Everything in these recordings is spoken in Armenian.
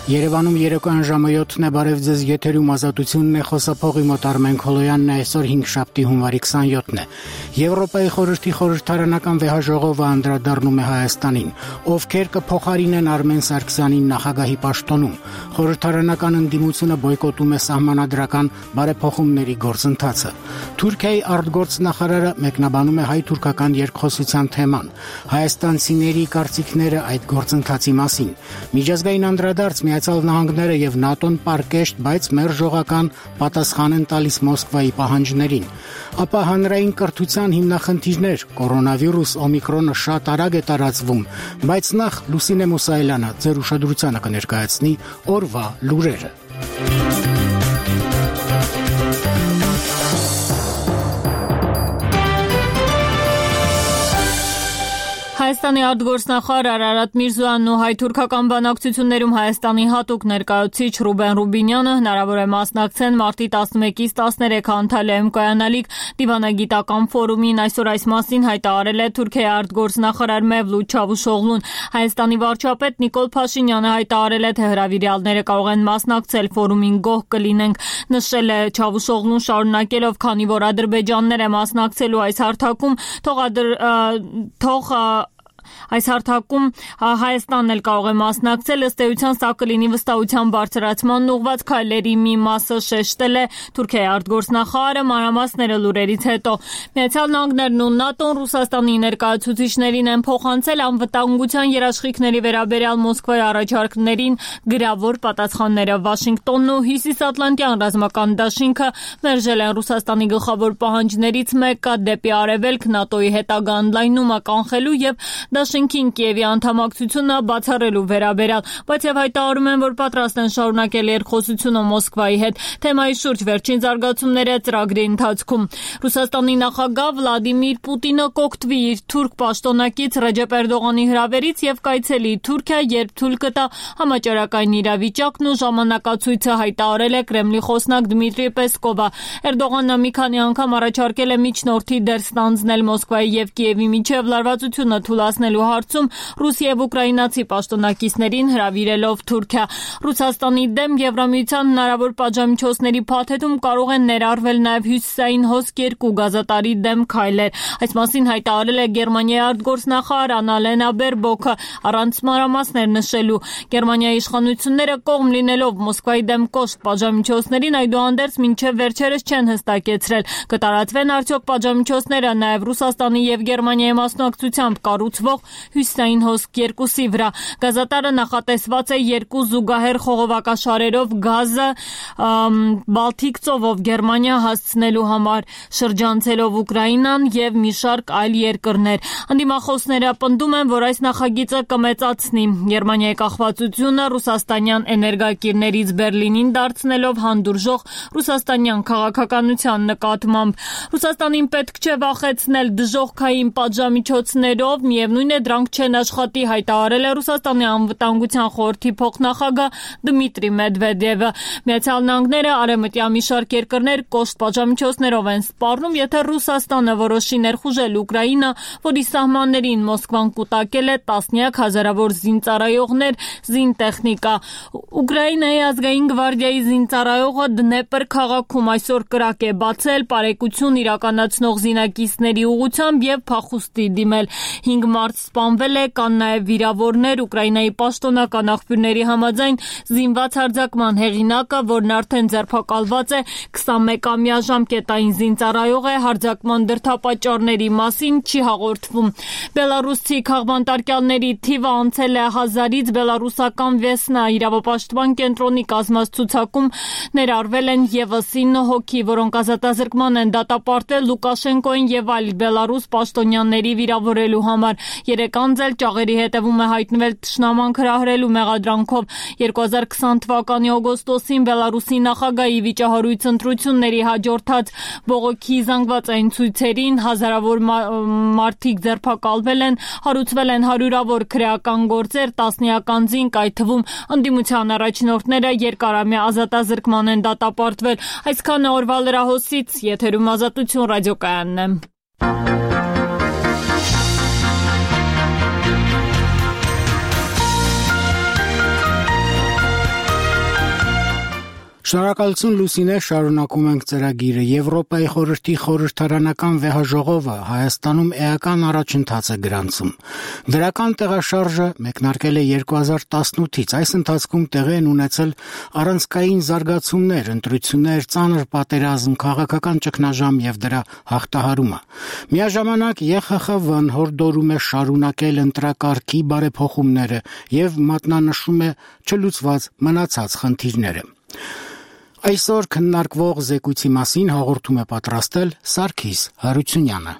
Երևանում երեկոյան ժամը 7-ն է, բարև ձեզ, եթերում Ազատությունն է, խոսափողի մոտ Արմեն Քոլոյանն է, այսօր 5-շաբթի հունվարի 27-ն է։ Եվրոպայի խորհրդի խորհրդարանական վեհաժողովը անդրադառնում է Հայաստանին, ովքեր կփոխարինեն Արմեն Սարգսյանին նախագահի պաշտոնում։ Խորհրդարանական ընդդիմությունը բոյկոտում է սահմանադրական բարեփոխումների գործընթացը։ Թուրքիայի արտգործնախարարը մեկնաբանում է հայ-թուրքական երկխոսության թեման, հայաստանցիների կարծիքները այդ գործընթացի մասին։ Միջազգային անդրադարձ Միացյալ Նահանգները եւ ՆԱՏՕ-ն պարկեշտ, բայց մերժողական պատասխան են տալիս Մոսկվայի պահանջներին։ Ապա հանրային կրթության հիմնախնդիրներ, կորոնավիրուս, օմիկրոնը շատ արագ է տարածվում, բայց նախ Լուսինե Մուսայելյանը ձեր ուշադրությանը կներկայացնի օրվա լուրերը։ Հայաստանի արտգործնախարար Արարատ Միրզոյանն ու հայ-թուրքական բանակցություններում Հայաստանի հատուկ ներկայացուցիչ Ռուբեն Ռուբինյանը հնարավոր է մասնակցեն մարտի 11-ից 13 Անտալիայում կայանալիք դիվանագիտական ֆորումին։ Այսօր այս մասին հայտարարել է Թուրքիայի արտգործնախարար Մևլութ Չավուշօղլուն։ Հայաստանի վարչապետ Նիկոլ Փաշինյանը հայտարարել է, թե հրավիրյալները կարող են մասնակցել ֆորումին, գոհ կլինենք, նշել է Չավուշօղլուն, շարունակելով, քանի որ ադրբեջաններ է մասնակցելու այս հարթակում Հայաստանն էլ կարող է մասնակցել, ըստ էության սա կլինի վստահության բարձրացման ուղղված քայլերի մի մասը, շեշտել է Թուրքիայի արտգործնախարարը, մանրամասները լուրերից հետո։ Միացյալ Նահանգներն ու ՆԱՏՕ-ն Ռուսաստանի ներկայացուցիչներին են փոխանցել անվտանգության երաշխիքների վերաբերյալ Մոսկվայի առաջարկներին գրավոր պատասխանները։ Վաշինգտոնն ու Հյուսիսատլանտյան ռազմական դաշինքը մերժել են Ռուսաստանի գլխավոր պահանջներից մեկը դեպի արևելք ՆԱՏՕ-ի հետագա ընդլայնումը կանխելու եւ Դաշինքին Կիևի անդամակցությունը բացառելու վերաբերյալ, բայց եւ հայտարարում են, որ պատրաստ են շարունակել երկխոսությունը Մոսկվայի հետ։ Թեմայի շուրջ վերջին զարգացումները ծրագրի ընթացքում։ Ռուսաստանի նախագահ Վլադիմիր Պուտինը կօգտվի իր թուրք պաշտոնակից Ռեջեփ Էրդողանի հրավերից եւ կայցելի Թուրքիա, երբ թույլ կտա համաճարակային իրավիճակն ու ժամանակացույցը, հայտարարել է Կրեմլի խոսնակ Դմիտրի Պեսկովը։ Էրդողանը մի քանի անգամ առաջարկել է միջնորդի դեր ստանձնել Մոսկվայի եւ Կիևի միջև լարվածությունը թույլատնելու հարցում ռուս եւ ուկրաինացի պաշտոնակիցներին հրավիրելով Թուրքիա։ Ռուսաստանի դեմ Եվրամիության հնարավոր պատժամիջոցների փաթեթում կարող են ներառվել նաեւ հյուսիսային հոսք 2 գազատարի դեմ քայլեր։ Այս մասին հայտարարել է Գերմանիայի արտգործնախարար Աննալենա Բերբոքը, առանց մանրամասներ նշելու։ Գերմանիայի իշխանությունները կողմ լինելով Մոսկվայի դեմ կոշտ պատժամիջոցներին, այդուհանդերձ մինչև վերջերս չեն հստակեցրել, կտարածվեն արդյոք պատժամիջոցները նաեւ Ռուսաստանի եւ Գերմանիայի մասնակցությամբ կառուցվող հյուսիսային հոսք 2-ի վրա։ Գազատարը նախատեսված է 2 զուգահեռ խողովակաշարերով գազը Բալթիկ ծովով Գերմանիա հասցնելու համար, շրջանցելով Ուկրաինան եւ մի շարք այլ երկրներ։ Ընդդիմախոսները պնդում են, որ այս նախագիծը կմեծացնի Գերմանիայի կախվածությունը ռուսաստանյան էներգակիրներից Բերլինին դարձնելով հանդուրժող ռուսաստանյան քաղաքականության նկատմամբ։ Ռուսաստանին պետք չէ վախեցնել դժոխքային պատժամիջոցներով, միևնույն է դրանք չեն աշխատի, հայտարարել է Ռուսաստանի անվտանգության խորհրդի փոխնախագահ Դմիտրի Մեդվեդևը։ Միացյալ Նահանգները, արևմտյան մի շարք երկրներ կոշտ պատժամիջոցներով են սպառնում, եթե Ռուսաստանը որոշի ներխուժել Ուկրաինա, որի սահմաններին Մոսկվան կուտակել է տասնյակ հազարավոր զինծառայողներ, զինտեխնիկա։ Ուկրաինայի ազգային գվարդիայի զինծառայողը Դնեպր քաղաքում այսօր կրակ է բացել պարեկություն իրականացնող զինակիցների ուղղությամբ եւ փախուստի դիմել։ 5 մարդ սպանվել է, կան նաեւ վիրավորներ։ Ուկրաինայի պաշտոնական աղբյուրների համաձայն զինված հարձակման հեղինակը, որն արդեն ձերբակալված է, 21-ամյա ժամկետային զինծառայող է, հարձակման դրդապատճառների մասին չի հաղորդվում։ Բելարուսի քաղբանտարկյալների թիվը անցել է 1000-ից, բելարուսական Վեսնա իրավապաշտպան կենտրոնի կազմած ցուցակում ներառվել են եւս 9 հոգի, որոնք ազատազրկման են դատապարտվել Լուկաշենկոին եւ այլ բելարուս պաշտոնյաների վիրավորելու համար։ 3 անձ էլ ճաղերի հետևում է հայտնվել թշնամանք հրահրելու մեղադրանքով։ 2020 թվականի օգոստոսին Բելարուսի նախագահի վիճահարույց ընտրությունների հաջորդած բողոքի զանգվածային ցույցերին հազարավոր մարդիկ ձերբակալվել են, հարուցվել են հարյուրավոր քրեական գործեր, տասնյակ անձինք, այդ թվում ընդդիմության առաջնորդները երկարամյա ազատազրկման են դատապարտվել։ Այսքանը օրվա լրահոսից, եթերում Ազատություն ռադիոկայանն է։ Շնորհակալություն Լուսինե, շարունակում ենք ծրագիրը։ Եվրոպայի խորհրդի խորհրդարանական վեհաժողովը Հայաստանում էական առաջընթաց է գրանցում։ Դրական տեղաշարժը մեկնարկել է 2018-ից։ Այս ընթացքում տեղի են ունեցել առանցքային զարգացումներ, ընտրություններ, ծանր պատերազմ, քաղաքական ճգնաժամ եւ դրա հաղթահարումը։ Միաժամանակ ԵԽԽՎ-ն հորդորում է շարունակել ընտրակարգի բարեփոխումները եւ մատնանշում է չլուծված մնացած խնդիրները։ Այսօր քննարկվող զեկույցի մասին հաղորդում է պատրաստել Սարգիս Հարությունյանը։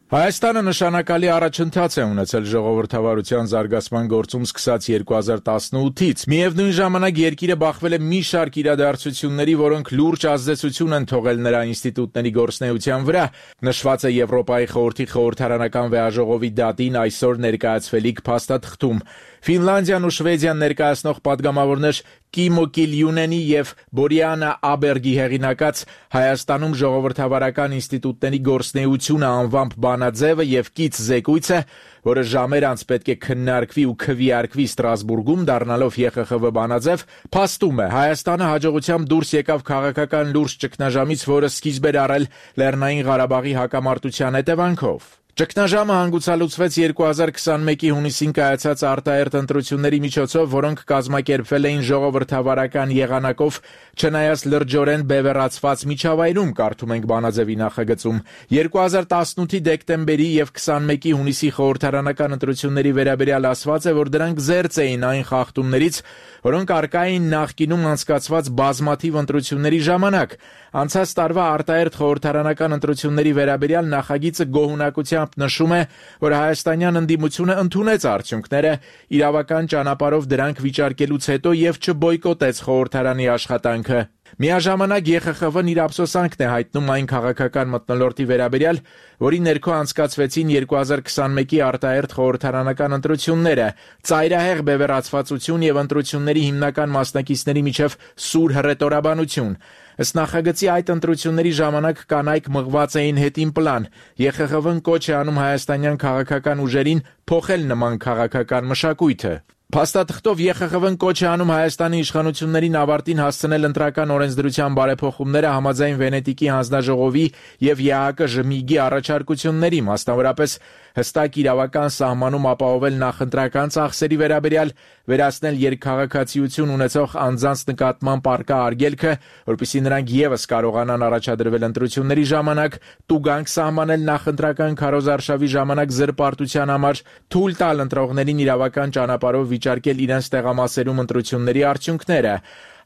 Հայաստանը նշանակալի առաջընթաց է ունեցել ժողովրդավարության զարգացման գործում սկսած 2018-ից։ Միևնույն ժամանակ երկիրը բախվել է մի շարք իրադարձությունների, որոնք լուրջ ազդեցություն են թողել նրա ինստիտուտների գործունեության վրա։ Նշված է Եվրոպայի խորհրդի խորհրդարանական վեհաժողովի դատին այսօր ներկայացվելիք փաստաթղթում։ Ֆինլանդիան ու Շվեդիան ներկայացնող падգամավորներ Կիմո Կիլյունենի եւ Բորիանա Աբերգի հեղինակած Հայաստանում ժողովրդավարական ինստիտուտների գործունեությունը անվամբ բանաձևը եւ կից զեկույցը, որը ժամեր անց պետք է քննարկվի ու քվեարկվի Ստրասբուրգում, դառնալով ԵԽԽՎ բանաձև, փաստում է Հայաստանը հաջողությամբ դուրս եկավ քաղաքական լուրջ ճգնաժամից, որը սկիզբ էր առել Լեռնային Ղարաբաղի հակամարտության հետևանքով։ Ճգնաժամը հանգուցալուծվեց 2021-ի հունիսին կայացած արտահերթ ընտրությունների միջոցով, որոնք կազմակերպվել էին ժողովրդավարական եղանակով, չնայած լրջորեն բևեռացված միջավայրում, կարդում ենք բանաձևի նախագծում։ 2018-ի դեկտեմբերի եւ 21-ի հունիսի խորհրդարանական ընտրությունների վերաբերյալ ասված է, որ դրանք զերծ էին այն խախտումներից, որոնք առկա էին նախկինում անցկացված բազմաթիվ ընտրությունների ժամանակ։ Անցած տարվա արտահերթ խորհրդարանական ընտրությունների վերաբերյալ նախագիծը գոհունակությամբ նշում է, որ հայաստանյան ընդդիմությունը ընդունեց արդյունքները, իրավական ճանապարհով դրանք վիճարկելուց հետո եւ չբոյկոտեց խորհրդարանի աշխատանքը։ Միաժամանակ ԵԽԽՎ-ն իր ափսոսանքն է հայտնում այն քաղաքական մթնոլորտի վերաբերյալ, որի ներքո անցկացվեցին 2021-ի արտահերթ խորհրդարանական ընտրությունները, ծայրահեղ բևեռացվածություն եւ ընտրությունների հիմնական մասնակիցների միջև սուր հռետորաբանություն։ Ըստ նախագծի այդ ընտրությունների ժամանակ կանայք մղված էին հետին պլան։ ԵԽԽՎ-ն կոչ է անում հայաստանյան քաղաքական ուժերին փոխել նման քաղաքական մշակույթը։ Փաստաթղթով ԵԽԽՎ-ն կոչ է անում Հայաստանի իշխանություններին ավարտին հասցնել ընտրական օրենսդրության բարեփոխումները համաձայն Վենետիկի հանձնաժողովի եւ ԵԱԿ-ԺՄԻԳ-ի առաջարկությունների, մասնավորապես հստակ իրավական սահմանում ապահովել նախընտրական ծախսերի վերաբերյալ, վերացնել երկքաղաքացիություն ունեցող անձանց նկատմամբ առկա արգելքը, որպեսզի նրանք եւս կարողանան առաջադրվել ընտրությունների ժամանակ, տուգանք սահմանել նախընտրական քարոզարշավի ժամանակ զրպարտության համար, թույլ տալ ընտրողներին իրավական ճանապարհով վիճարկել իրենց տեղամասերում ընտրությունների արդյունքները։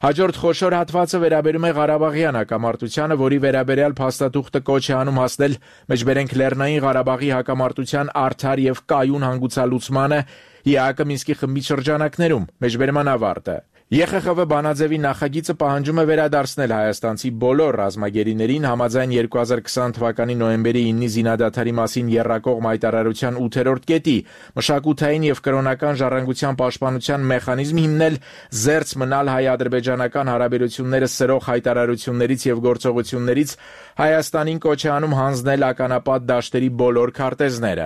Հաջորդ խոշոր հատվածը վերաբերում է Ղարաբաղյան հակամարտությանը, որի վերաբերյալ փաստաթուղթը կոչ է անում հասնել մեջբերենք Լեռնային Ղարաբաղի հակամարտության արդար եւ կայուն հանգուցալուծմանը ԵԱԿ Մինսկի խմբի շրջանակներում, մեջբերման ավարտը։ ԵԽԽՎ բանաձևի նախագիծը պահանջում է վերադարձնել հայաստանցի բոլոր ռազմագերիներին համաձայն 2020 թվականի նոյեմբերի 9-ի զինադադարի մասին եռակողմ հայտարարության 8-րդ կետի, մշակութային եւ կրոնական ժառանգության պաշտպանության մեխանիզմ հիմնել, զերծ մնալ հայ-ադրբեջանական հարաբերությունները սրող հայտարարություններից եւ գործողություններից, Հայաստանին կոչ է անում հանձնել ականապատ դաշտերի բոլոր քարտեզները։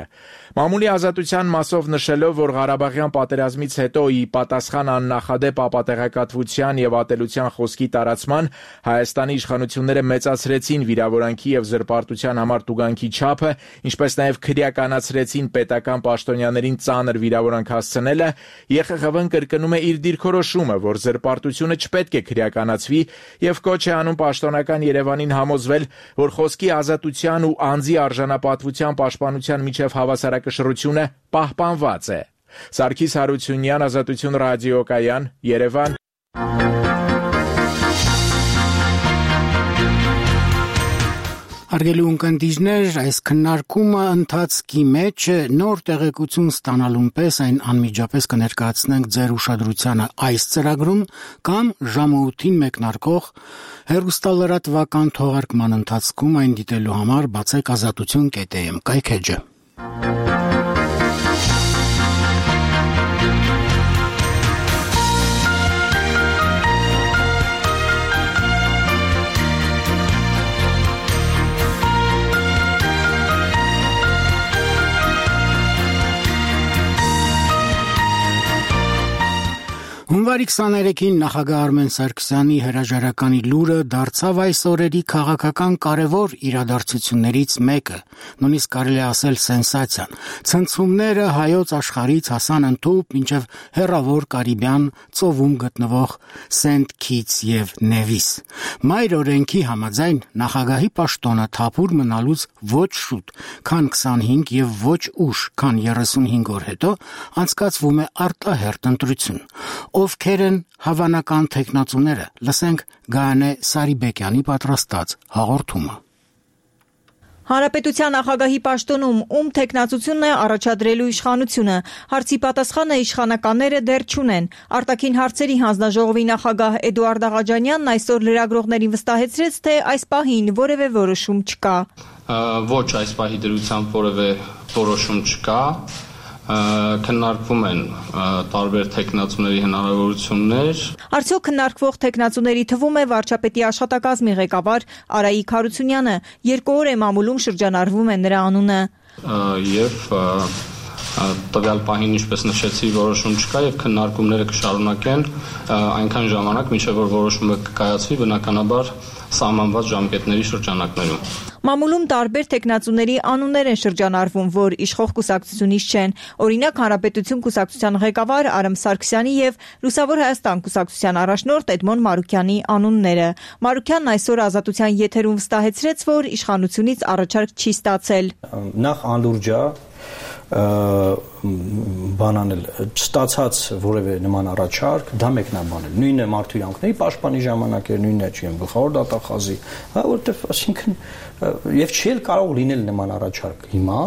Մամուլի ազատության մասով նշելով, որ Ղարաբաղյան պատերազմից հետո ի պատասխան աննախադեպ ապատեղեկատվության եւ ատելության խոսքի տարածման Հայաստանի իշխանությունները մեծացրեցին վիրավորանքի եւ զրպարտության համար տուգանքի չափը, ինչպես նաեւ քրեականացրեցին պետական պաշտոնյաներին ծանր վիրավորանք հասցնելը, ԵԽԽՎ-ն կրկնում է իր դիրքորոշումը, որ զրպարտությունը չպետք է քրեականացվի եւ կոչ է անում պաշտոնական Երևանին համոզվել, որ խոսքի ազատության ու անձի արժանապատվության պաշտպանության միջև հավասարակշռությունը պահպանված է։ Սարգիս Հարությունյան, Ազատություն ռադիոկայան, Երևան։ Հարգելի ունկնդիրներ, այս քննարկումը ընթացքի մեջ է, նոր տեղեկություն ստանալուն պես այն անմիջապես կներկայացնենք ձեր ուշադրությանը այս ծրագրում կամ ժամը 8-ին մեկնարկող հեռուստալրատվական թողարկման ընթացքում այն դիտելու համար բացեք azatutun.am կայքեջը։ Հունվարի 23-ին նախագահ Արմեն Սարգսյանի հրաժարականի լուրը դարձավ այս օրերի քաղաքական կարևոր իրադարձություններից մեկը, նույնիսկ կարելի է ասել սենսացիան։ Ցնցումները հայոց աշխարհից հասան ընդհուպ մինչև հեռավոր Կարիբյան ծովում գտնվող Սենթ Քիթս եւ Նևիս։ Մայր օրենքի համաձայն նախագահի պաշտոնը թափուր մնալուց ոչ շուտ, քան 25 եւ ոչ ուշ, քան 35 օր հետո անցկացվում է արտահերթ ընտրություն։ Ովքեր են հավանական թեկնածուները, լսենք Գայանե Սարիբեկյանի պատրաստած հաղորդումը։ Հանրապետության նախագահի պաշտոնում ում թեկնածությունն է առաջադրելու իշխանությունը, հարցի պատասխանը իշխանականները դեռ չունեն։ Արտաքին հարցերի հանձնաժողովի նախագահ Էդուարդ Աղաջանյանն այսօր լրագրողներին վստահեցրեց, թե այս պահին որևէ որոշում չկա։ Ոչ, այս պահի դրությամբ որևէ որոշում չկա։ Քննարկվում են տարբեր թեկնածուների հնարավորություններ։ Արդյոք քննարկվող թեկնածուների թվում է վարչապետի աշխատակազմի ղեկավար Արայիկ Հարությունյանը, 2 օր է մամուլում շրջանառվում է նրա անունը։ Եվ տվյալ պահին, ինչպես նշեցի, որոշում չկա եւ քննարկումները կշարունակեն այնքան ժամանակ, մինչեւ որ որոշումը կկայացվի, բնականաբար սահմանված ժամկետների շրջանակներում։ Մամուլում տարբեր թեկնածուների անուններ են շրջանառվում, որ իշխող կուսակցությունից չեն։ Օրինակ, Հանրապետություն կուսակցության ղեկավար Արամ Սարգսյանի եւ Լուսավոր Հայաստան կուսակցության առաջնորդ Էդմոն Մարուկյանի անունները։ Մարուկյանն այսօր Ազատության եթերում վստահեցրեց, որ իշխանությունից առաջարկ չի ստացել։ Նախ անլուրջ է բանանել չստացած որևէ նման առաջարկ, դա մեկնաբանել։ Նույնն է մարդու իրավունքների պաշտպանի ժամանակ էր, նույնն է չեմ գլխավոր դատախազի, որովհետև այսինքն եւ չի էլ կարող լինել նման առաջարկ հիմա,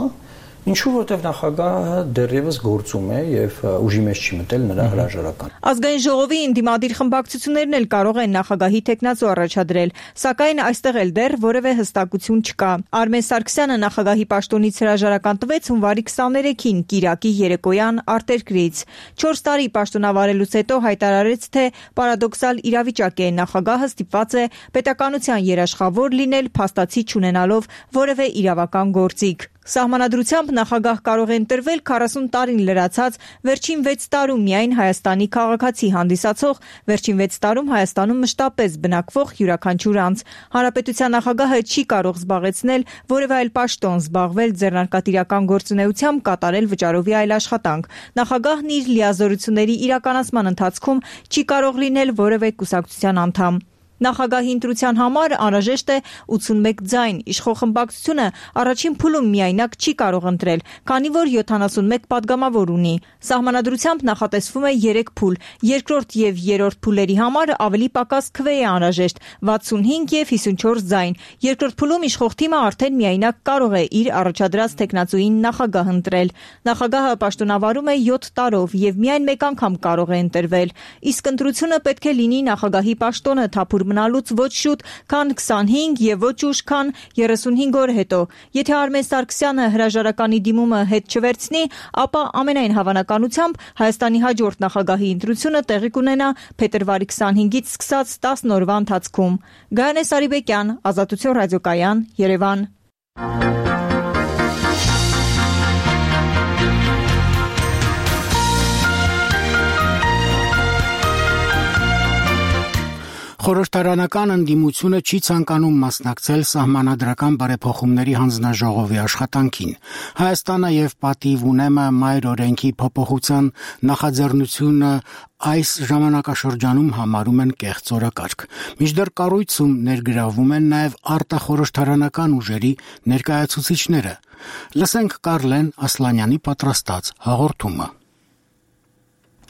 ինչու որտեղ նախագահը դեռևս գործում է եւ ուժի մեջ չի մտել նրա հրաժարական։ Ազգային ժողովի ընդդիմադիր խմբակցություններն էլ կարող են նախագահի թեկնածու առաջադրել, սակայն այստեղ էլ դեռ որևէ հստակություն չկա։ Արմեն Սարգսյանը նախագահի պաշտոնից հրաժարական տվեց հունվարի 23-ին Կիրակի երեկոյան արտերկրից։ 4 տարի պաշտոնավարելուց հետո հայտարարեց, թե պարադոքսալ իրավիճակ է, նախագահը ստիպված է պետականության երաշխավոր լինել փաստացի չունենալով որևէ իրավական գործիք։ Սահմանադրությամբ նախագահ կարող է ընտրվել 40 տարին լրացած վերջին 6 տարում միայն Հայաստանի քաղաքացի հանդիսացող, վերջին 6 տարում Հայաստանում մշտապես բնակվող յուրաքանչյուր անձ։ Հանրապետության նախագահը չի կարող զբաղեցնել որևէ այլ պաշտոն, զբաղվել ձեռնարկատիրական գործունեությամբ, կատարել վճարովի այլ աշխատանք։ Նախագահն իր լիազորությունների իրականացման ընթացքում չի կարող լինել որևէ կուսակցության անդամ։ Նախագահի ընտրության համար անհրաժեշտ է 81 ձայն, իշխող խմբակցությունը առաջին փուլում միայնակ չի կարող ընտրել, քանի որ 71 падգամավոր ունի։ Սահմանադրությամբ նախատեսվում է 3 փուլ, երկրորդ եւ երրորդ փուլերի համար ավելի պակաս քվե է անհրաժեշտ 65 եւ 54 ձայն։ Երկրորդ փուլում իշխող թիմը արդեն միայնակ կարող է իր առաջադրած թեկնածուին նախագահ ընտրել։ Նախագահը պաշտոնավարում է 7 տարով եւ միայն մեկ անգամ կարող է ընտրվել։ Իսկ ընտրությունը պետք է լինի նախագահի պաշտոնը թափուր մնալուց ոչ շուտ, քան 25 եւ ոչ ուշ, քան 35 օր հետո։ Եթե Արմեն Սարգսյանը հրաժարականի դիմումը հետ չվերցնի, ապա ամենայն հավանականությամբ Հայաստանի հաջորդ նախագահի ընտրությունը տեղի կունենա փետրվարի 25-ից սկսած 10 օրվա ընթացքում։ Գայանե Սարիբեկյան, Ազատություն ռադիոկայան, Երևան։ Խորհրդարանական ընդդիմությունը չի ցանկանում մասնակցել սահմանադրական բարեփոխումների հանձնաժողովի աշխատանքին։ Հայաստանը եւ Պատիվ ունեմը մայր օրենքի փոփոխության նախաձեռնությունը այս ժամանակաշրջանում համարում են կեղծ օրակարգ։ Մինչդեռ կառույցում ներգրավում են նաեւ արտախորհրդարանական ուժերի ներկայացուցիչները։ Լսենք Կարլեն Ասլանյանի պատրաստած հաղորդումը։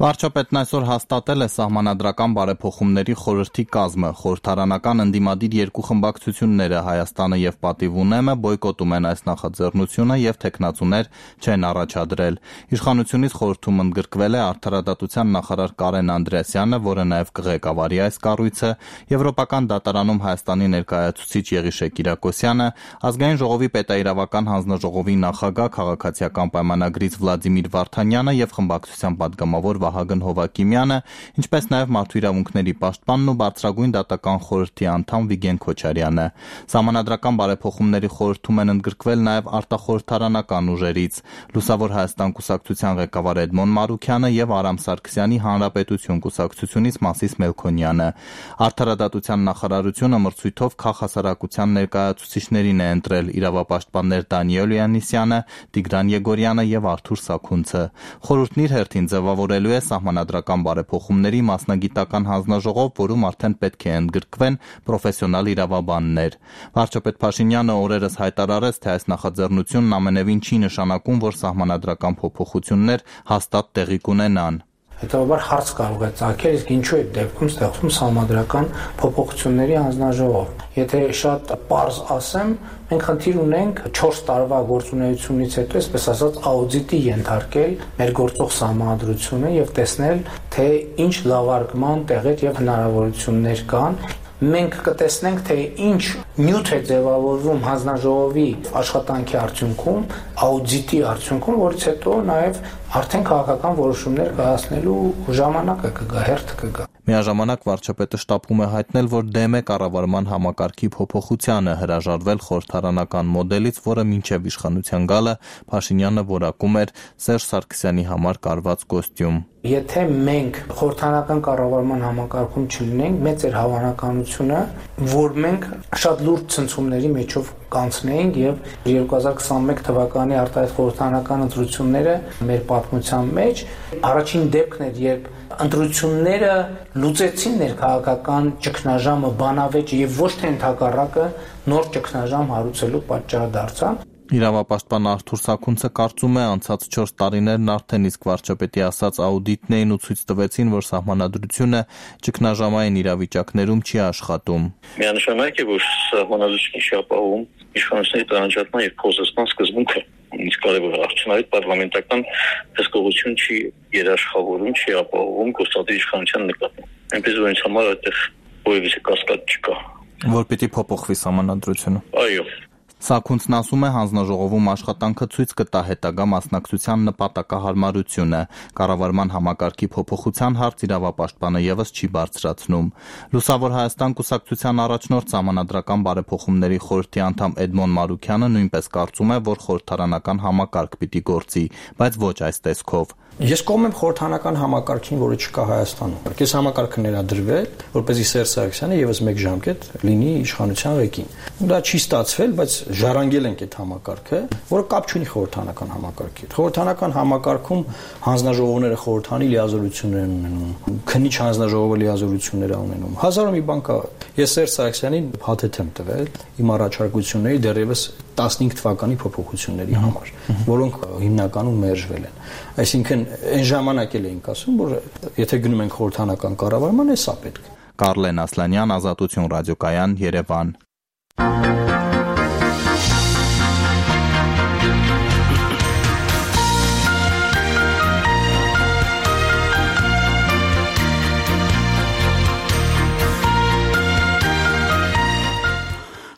Վարչապետն այսօր հաստատել է սահմանադրական բարեփոխումների խորհրդի կազմը։ Խորհրդարանական ընդդիմադիր երկու խմբակցությունները Հայաստանը եւ Պատիվ ունեմը բոյկոտում են այս նախաձեռնությունը եւ թեկնածուներ չեն առաջադրել։ Իշխանությունից խորհրդում ընդգրկվել է արդարադատության նախարար Կարեն Անդրեասյանը, որը նաեւ կղեկավարի այս կառույցը, Եվրոպական դատարանում Հայաստանի ներկայացուցիչ Եղիշե Կիրակոսյանը, Ազգային ժողովի պետաիրավական հանձնաժողովի նախագահ քաղաքացիական պայմանագրից Վլադիմիր Վարդանյանը եւ խմբակցության պատգամավոր Վահագն Հովակիմյանը, ինչպես նաև Մարդու իրավունքների պաշտպանն ու Բարձրագույն դատական խորհրդի անդամ Վիգեն Քոչարյանը։ Սահմանադրական բարեփոխումների խորհրդում են ընդգրկվել նաև արտախորհրդարանական ուժերից Լուսավոր Հայաստան կուսակցության ղեկավար Էդմոն Մարուքյանը եւ Արամ Սարգսյանի Հանրապետություն կուսակցությունից Մասիս Մելքոնյանը։ Արդարադատության նախարարությունը մրցույթով քաղաքասարակության ներկայացուցիչներին է ընտրել իրավապաշտպաններ Դանիել Յանիսյանը, Տիգրան Եգորյանը եւ Արթուր Սաքունցը։ Խորհուրդն իր հերթին ձևավորելու է սահմանադրական բարեփոխումների մասնագիտական հանձնաժողով, որում արդեն պետք է ընդգրկվեն պրոֆեսիոնալ իրավաբաններ։ Վարչապետ Փաշինյանը օրերս հայտարարեց, թե այս նախաձեռնությունն ամենևին չի նշանակում, որ սահմանադրական փոփոխություններ հաստատ տեղի կունենան։ Հետևաբար հարց կարող է ծագել, իսկ ինչու է դեպքում ստեղծում սահմանադրական փոփոխությունների հանձնաժողով։ Եթե շատ պարզ ասեմ, մենք խնդիր ունենք 4 տարվա գործունեությունից հետո, այսպես ասած, աուդիտի ենթարկել մեր գործող սահմանադրությունը եւ տեսնել, թե ինչ լավարկման տեղեր եւ հնարավորություններ կան։ Մենք կտեսնենք, թե ինչ նյութ է ձևավորվում հանձնաժողովի աշխատանքի արդյունքում, աուդիտի արդյունքում, որից հետո նաև արդեն քաղաքական որոշումներ կայացնելու ժամանակը կգա, հերթը կգա։ Միաժամանակ վարչապետը շտապում է հայտնել, որ դեմ է կառավարման համակարգի փոփոխությանը, հրաժարվել խորհրդարանական մոդելից, որը մինչև իշխանության գալը Փաշինյանը որակում էր Սերժ Սարգսյանի համար կարված կոստյում։ Եթե մենք խորհրդարանական կառավարման համակարգում չլինենք, մեծ էր հավանականությունը, որ մենք շատ լուրջ ցնցումների մեջով կանցնեինք եւ 2021 թվականի արտահայտ խորհրդարանական ընտրությունները մեր պատմության մեջ առաջին դեպքն էր, երբ ընտրությունները լուծեցին ներքաղաքական ճգնաժամը, բանավեճը եւ ոչ թե ընդհակառակը նոր ճգնաժամ հարուցելու պատճառ դարձան։ Իրավապաշտպան Արթուր Սաքունցը կարծում է, անցած 4 տարիներն արդեն իսկ վարչապետի ասած աուդիտն էին ու ցույց տվեցին, որ սահմանադրությունը ճգնաժամային իրավիճակներում չի աշխատում։ Միանշանակ է, որ սահմանադրությունը չի ապահովում իշխանությունների տարանջատման եւ փոխզսման սկզբունքը։ Իսկ կարևոր արդյունավետ պարլամենտական հսկողություն չի երաշխավորում, չի ապահովում գործադիր իշխանության նկատմամբ։ Այնպես որ ինձ համար այդտեղ որևիցե կասկած չկա։ Որ պիտի փոփոխվի սահմանադրությունը։ Այո։ Սաքունցն ասում է, հանձնաժողովում աշխատանքը ցույց կտա հետագա մասնակցության նպատակահարմարությունը։ Կառավարման համակարգի փոփոխության հարց իրավապաշտպանը եւս չի բարձրացնում։ Լուսավոր Հայաստան կուսակցության առաջնորդ սահմանադրական բարեփոխումների խորհրդի անդամ Էդմոն Մարուքյանը նույնպես կարծում է, որ խորհրդարանական համակարգ պիտի գործի, բայց ոչ այս տեսքով։ Ես կողմ եմ խորհրդարանական համակարգին, որը չկա Հայաստանում։ Այս համակարգը ներադրվել, որպեսզի Սերժ Սարգսյանը եւս մեկ ժամկետ լինի իշխանության ղեկին։ Դա չի ստացվել, բայց ժառանգել ենք այդ համակարգը, որը կապ չունի խորհրդարանական համակարգի հետ։ Խորհրդարանական համակարգում հանձնաժողովները խորհրդանի լիազորություններ են ունենում, քննիչ հանձնաժողովը լիազորություններ է ունենում։ Հազարով մի բան կա։ Ես Սերժ Սարգսյանին փաթեթ եմ տվել իմ առաջարկությունների դեռևս 15 թվականի փոփոխությունների համար, որոնք հիմնականում մերժվել են։ Այսինքն այն ժամանակ էլ էինք ասում, որ եթե գնում ենք խորհրդարանական կառավարման, է սա պետք։ Կարլեն Ասլանյան, Ազատություն ռադիոկայան, Երևան։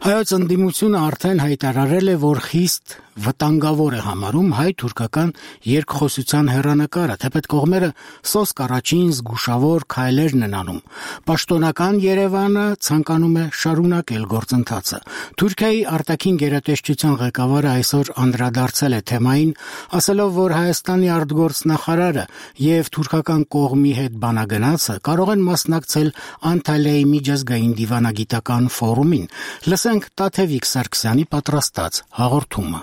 Հայոց ընդդիմությունը արդեն հայտարարել է, որ խիստ վտանգավոր է համարում հայ-թուրքական երկխոսության հեռանկարը, թեպետ կողմերը սոսկ առաջին զգուշավոր քայլերն են անում։ Պաշտոնական Երևանը ցանկանում է շարունակել գործընթացը։ Թուրքիայի արտաքին գերատեսչության ղեկավարը այսօր անդրադարձել է թեմային, ասելով, որ Հայաստանի արտգործնախարարը եւ թուրքական կողմի հետ բանագնացը կարող են մասնակցել Անտալիայի միջազգային դիվանագիտական ֆորումին։ Լսենք Տաթևիկ Սարգսյանի պատրաստած հաղորդումը։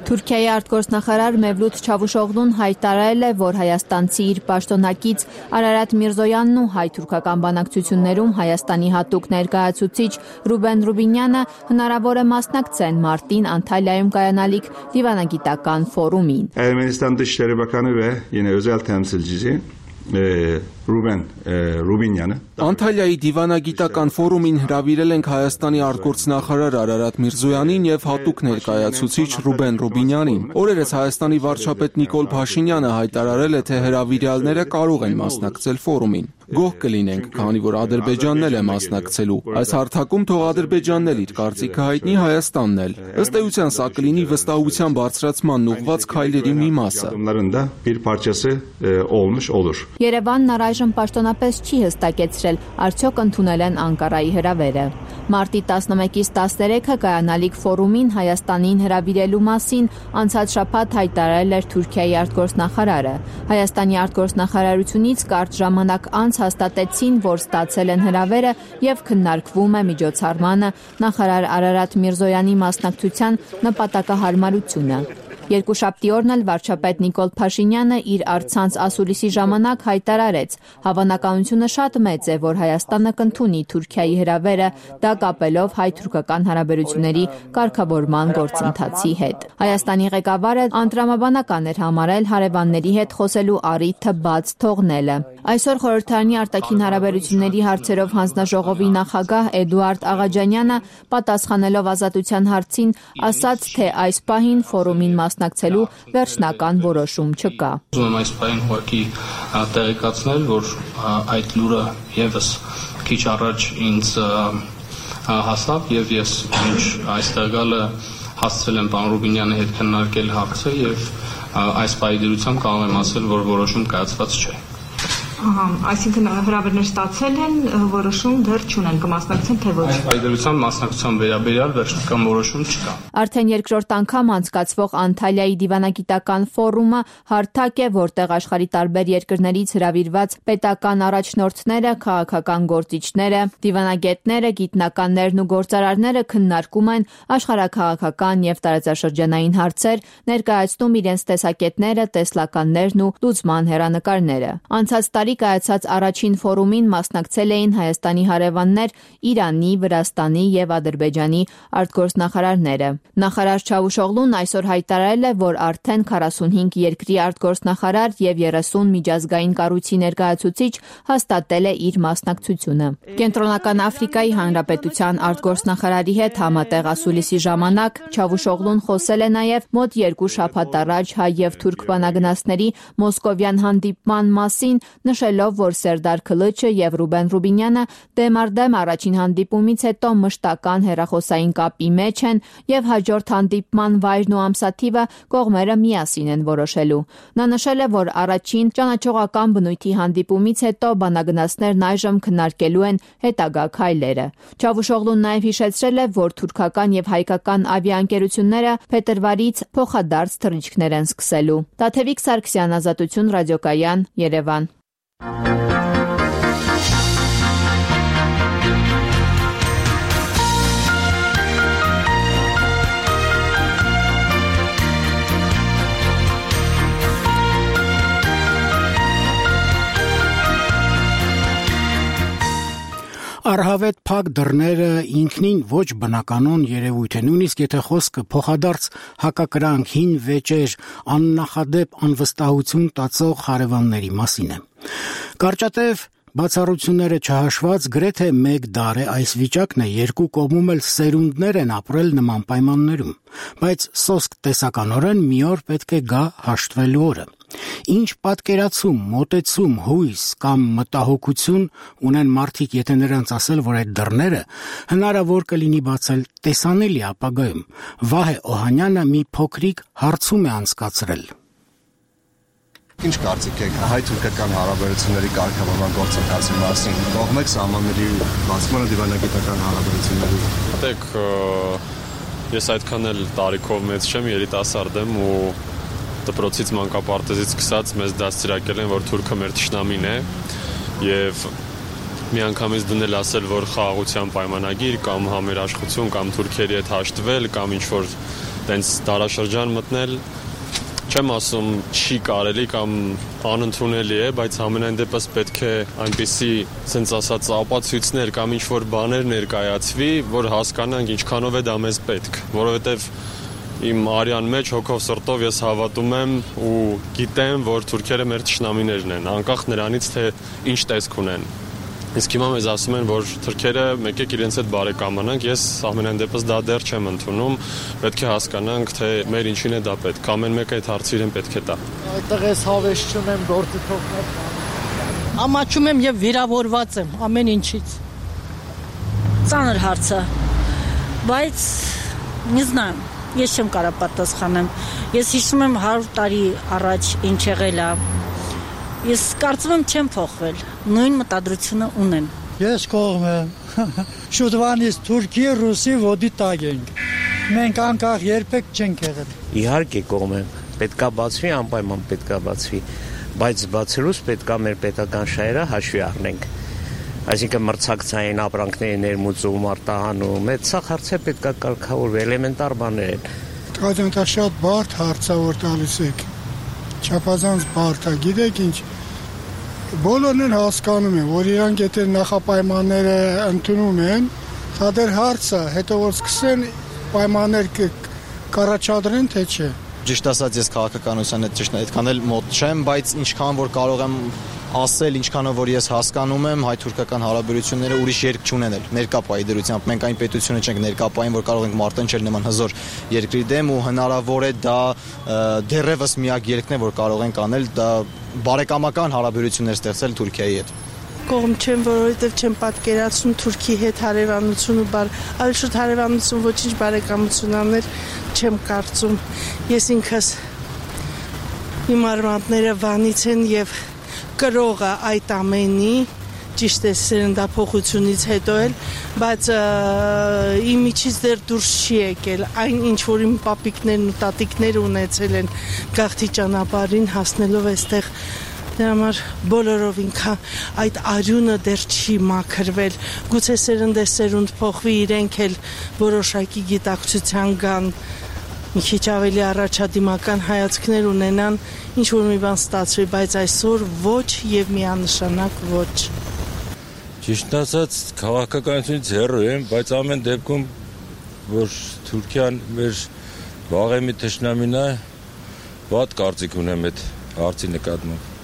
Թուրքիայի արտգործնախարար Մևլութ Չավուշօղլուն հայտարարել է, որ հայաստանցի իր պաշտոնակից Արարատ Միրզոյանն ու հայ-թուրքական բանակցություններում Հայաստանի հատուկ ներկայացուցիչ Ռուբեն Ռուբինյանը հնարավոր է մասնակցեն մարտին Անտալիայում կայանալիք դիվանագիտական ֆորումին։ Ermənistan Dışişleri Bakanı ve yine özel temsilcisi Ruben Rubinyan'ı Անտալիայի դիվանագիտական ֆորումին հրավիրել ենք Հայաստանի արտգործնախարար Արարատ Միրզոյանին եւ հատուկ ներկայացուցիչ Ռուբեն Ռուբինյանին։ Օրերս Հայաստանի վարչապետ Նիկոլ Փաշինյանը հայտարարել է, թե հրավիրյալները կարող են մասնակցել ֆորումին։ Գոհ կլինենք, քանի որ Ադրբեջանն էլ է մասնակցելու։ Այս հարթակում թող Ադրբեջանն էլ իր կարծիքը հայտնի, Հայաստանն էլ։ Ըստ էության սա կլինի վստահության բարձրացմանն ուղղված քայլերի մի մասը։ Երևանն առայժմ պաշտոնապես չի հստակեցրել, արդյոք ընդունել են Անկարայի հրավերը։ Մարտի 11-ից 13-ը կայանալիք ֆորումին Հայաստանին հրավիրելու մասին անցած շաբաթ հայտարարել էր Թուրքիայի արտգործնախարարը։ Հայաստանի արտգործնախարարությունից կարճ ժամանակ անց հաստատեցին, որ ստացել են հրավերը եւ քննարկվում է միջոցառմանը նախարար Արարատ Միրզոյանի մասնակցության նպատակահարմարությունը։ Երկուշաբթի օրն էլ վարչապետ Նիկոլ Փաշինյանը իր առցանց ասուլիսի ժամանակ հայտարարեց. հավանականությունը շատ մեծ է, որ Հայաստանը կընդունի Թուրքիայի հրավերը, դա կապելով հայ-թուրքական հարաբերությունների կարգավորման գործընթացի հետ։ Հայաստանի ղեկավարը անտրամաբանական էր համարել հարևանների հետ խոսելու առիթը բաց թողնելը։ Այսօր խորհրդարանի արտաքին հարաբերությունների հարցերով հանձնաժողովի նախագահ Էդուարդ Աղաջանյանը պատասխանելով ազատության հարցին ասաց, թե այս պահին ֆորումին մասնակցելու վերջնական որոշում չկա։ Ուզում եմ այս պահին ուղղակի տեղեկացնել, որ այդ լուրը եւս քիչ առաջ ինձ հասավ եւ ես ինչ այստեղ գալը հասցրել եմ պարոն Ռուբինյանի հետ քննարկել հարցը եւ այս պահի դրությամբ կարող եմ ասել, որ որոշում կայացված չէ։ Այսինքն հրավերներ ստացել են, որոշում դեռ չունեն, կմասնակցեն թե ոչ։ Այս պայմանությամբ մասնակցության վերաբերյալ վերջնական որոշում չկա։ Արդեն երկրորդ անգամ անցկացվող Անտալիայի դիվանագիտական ֆորումը հարթակ է, որտեղ աշխարհի տարբեր երկրներից հրավիրված պետական առաջնորդները, քաղաքական գործիչները, դիվանագետները, գիտնականներն ու գործարարները քննարկում են աշխարհաքաղաքական եւ տարածաշրջանային հարցեր, ներկայացնում իրենց տեսակետները, տեսլականներն ու լուծման հեռանկարները։ Անցած տարի կայացած առաջին ֆորումին մասնակցել էին Հայաստանի հարևաններ Իրանի, Վրաստանի եւ Ադրբեջանի արտգործնախարարները։ Նախարար Չավուշօղլուն այսօր հայտարարել է, որ արդեն 45 երկրի արտգործնախարար եւ 30 միջազգային կառույցի ներկայացուցիչ հաստատել է իր մասնակցությունը։ Կենտրոնական Աֆրիկայի Հանրապետության արտգործնախարարի հետ համատեղ ասուլիսի ժամանակ Չավուշօղլուն խոսել է նաեւ մոտ 2 շաբաթ առաջ հայ եւ թուրք բանագնացների մոսկովյան հանդիպման մասին, նշելով, որ Սերդար Քլիչը եւ Ռուբեն Ռուբինյանը դեմարդեմ առաջին հանդիպումից հետո մշտական հեռախոսային կապի մեջ են եւ հաջորդ հանդիպման վայրն ու ամսաթիվը կողմերը միասին են որոշելու։ Նա նշել է, որ առաջին ճանաչողական բնույթի հանդիպումից հետո բանագնացներն այժմ քննարկելու են հետագա քայլերը։ Չավուշօղլուն նաեւ հիշեցրել է, որ թուրքական եւ հայկական ավիաընկերությունները փետրվարից փոխադարձ թռիչքներ են սկսելու։ Տաթևիկ Սարգսյան, Ազատություն ռադիոկայան, Երևան։ Արհավետ փակ դռները ինքնին ոչ բնականon երևույթ է, նույնիսկ եթե խոսքը փոխադարձ հակակրանք, հին վեճեր, աննախադեպ անվստահություն տածող հարևանների մասին է։ Կարճատև բացառությունները չհաշված գրեթե 1 դար է այս վիճակն է, երկու կողմում էլ սերունդներ են ապրել նման պայմաններում, բայց սոսկ տեսականորեն մի օր պետք է գա հաշտվելու օրը։ Ինչ պատկերացում, մոտեցում, հույս կամ մտահոգություն ունեն մարդիկ, եթե նրանց ասել, որ այդ դռները հնարավոր կլինի բացել տեսանելի ապագայում։ Վահե Օհանյանը մի փոքրիկ հարցում է անցկացրել։ Ինչ կարծիք եք հայ-թուրքական հարաբերությունների կարգավորման գործընթացի մասին։ Կողմեք սահմանների բացմանը դիվանագիտական հարաբերությունների։ Դեք ես այդքան էլ տարիքով մեծ չեմ, երիտասարդ եմ ու դպրոցից մանկապարտեզից սկսած մեզ դաստիարակել են, որ թուրքը մեր թշնամին է եւ միանգամից դնել ասել, որ խաղաղության պայմանագիր կամ համերաշխություն կամ թուրքերի հետ հաշտվել կամ ինչ որ տենց դարաշրջան մտնել, չեմ ասում չի կարելի կամ անընդունելի է, բայց ամենայն դեպս պետք է այնպիսի sense ասած ապացույցներ կամ ինչ որ բաներ ներկայացվի, որ հասկանանք ինչքանով է դա մեզ պետք, որովհետեւ իմ արյան մեջ հոգով սրտով ես հավատում եմ ու գիտեմ, որ թուրքերը մեր թշնամիներն են, անկախ նրանից թե ինչ տեսք ունեն։ Իսկ հիմա մեզ ասում են, որ թուրքերը եկեք իրենց հետ բարեկամանանք, ես ամենայն դեպս դա դեռ չեմ ընդունում, պետք է հասկանանք, թե մեր ինչին է դա պետք, ամեն մեկը այդ հարցը իրեն պետք է տա։ Այդտեղ ես հավես չունեմ, գործի թողնել։ Ամաչում եմ եւ վիրավորված եմ ամեն ինչից։ Ծանր հարց է, բայց не знаю, ես չեմ կարող պատասխանեմ։ Ես հիշում եմ 100 տարի առաջ ինչ եղել է։ Ես կարծում եմ չեմ փոխվել, նույն մտադրությունը ունեմ։ Ես կողմ եմ։ Շուտվանից Թուրքի, Ռուսի ոդի տակ ենք։ Մենք անկախ երբեք չենք եղել։ Իհարկե կողմ եմ, պետքա բացվի, անպայման պետքա բացվի, բայց բացելուց պետքա մեր պետական շահերը հաշվի առնենք։ Այսինքն մրցակցային ապրանքների ներմուծում, արտահանում, այդ սա հարցը պետքա կարգավորվի, էլեմենտար բաներ են։ Դա շատ բարդ հարց է, որ տալիս եք։ Չափազանց բարդ է, գիտեք ինչ, բոլորն են հասկանում են, որ իրանք եթե նախապայմանները ընդունում են, դա դեռ հարց է, հետո որ սկսեն պայմաններ կառաջադրեն, թե չէ։ Ճիշտ ասած, ես քաղաքականության հետ ճիշտ այդքան էլ մոտ չեմ, բայց ինչքան որ կարող եմ ասել, ինչքանով որ ես հասկանում եմ, հայ-թուրքական հարաբերությունները ուրիշ երկ չունեն էլ ներկապայի դրությամբ։ Մենք այն պետությունը չենք ներկապային, որ կարող ենք մարտնչել նման հզոր երկրի դեմ ու հնարավոր է դա դեռևս միակ երկն է, որ կարող ենք անել, դա բարեկամական հարաբերություններ ստեղծել Թուրքիայի հետ։ Կողմ չեմ, որովհետև չեմ պատկերացնում Թուրքի հետ հարևանություն ու այլ շուտ հարևանություն ոչինչ բարեկամություն անել չեմ կարծում։ Ես ինքս իմ արմատները Վանից են եւ կրողը այդ ամենի, ճիշտ է սերնդափոխությունից հետո էլ, բայց իմ միջից դեռ դուրս չի եկել, այն ինչ որ իմ պապիկներն ու տատիկները ունեցել են գաղթի ճանապարհին հասնելով այստեղ, դրա համար բոլորով ինքա այդ արյունը դեռ չի մաքրվել, գուցե սերնդեսերունդ փոխվի, իրենք էլ որոշակի գիտակցության գան, մի քիչ ավելի առաջադիմական հայացքներ ունենան, ինչ որ մի բան ստացվի, բայց այսօր ոչ եւ միանշանակ ոչ։ Ճիշտ ասած, քաղաքականությունից հեռու եմ, բայց ամեն դեպքում որ Թուրքիան մեր վաղեմի թշնամին է, վատ կարծիք ունեմ այդ հարցի նկատմամբ։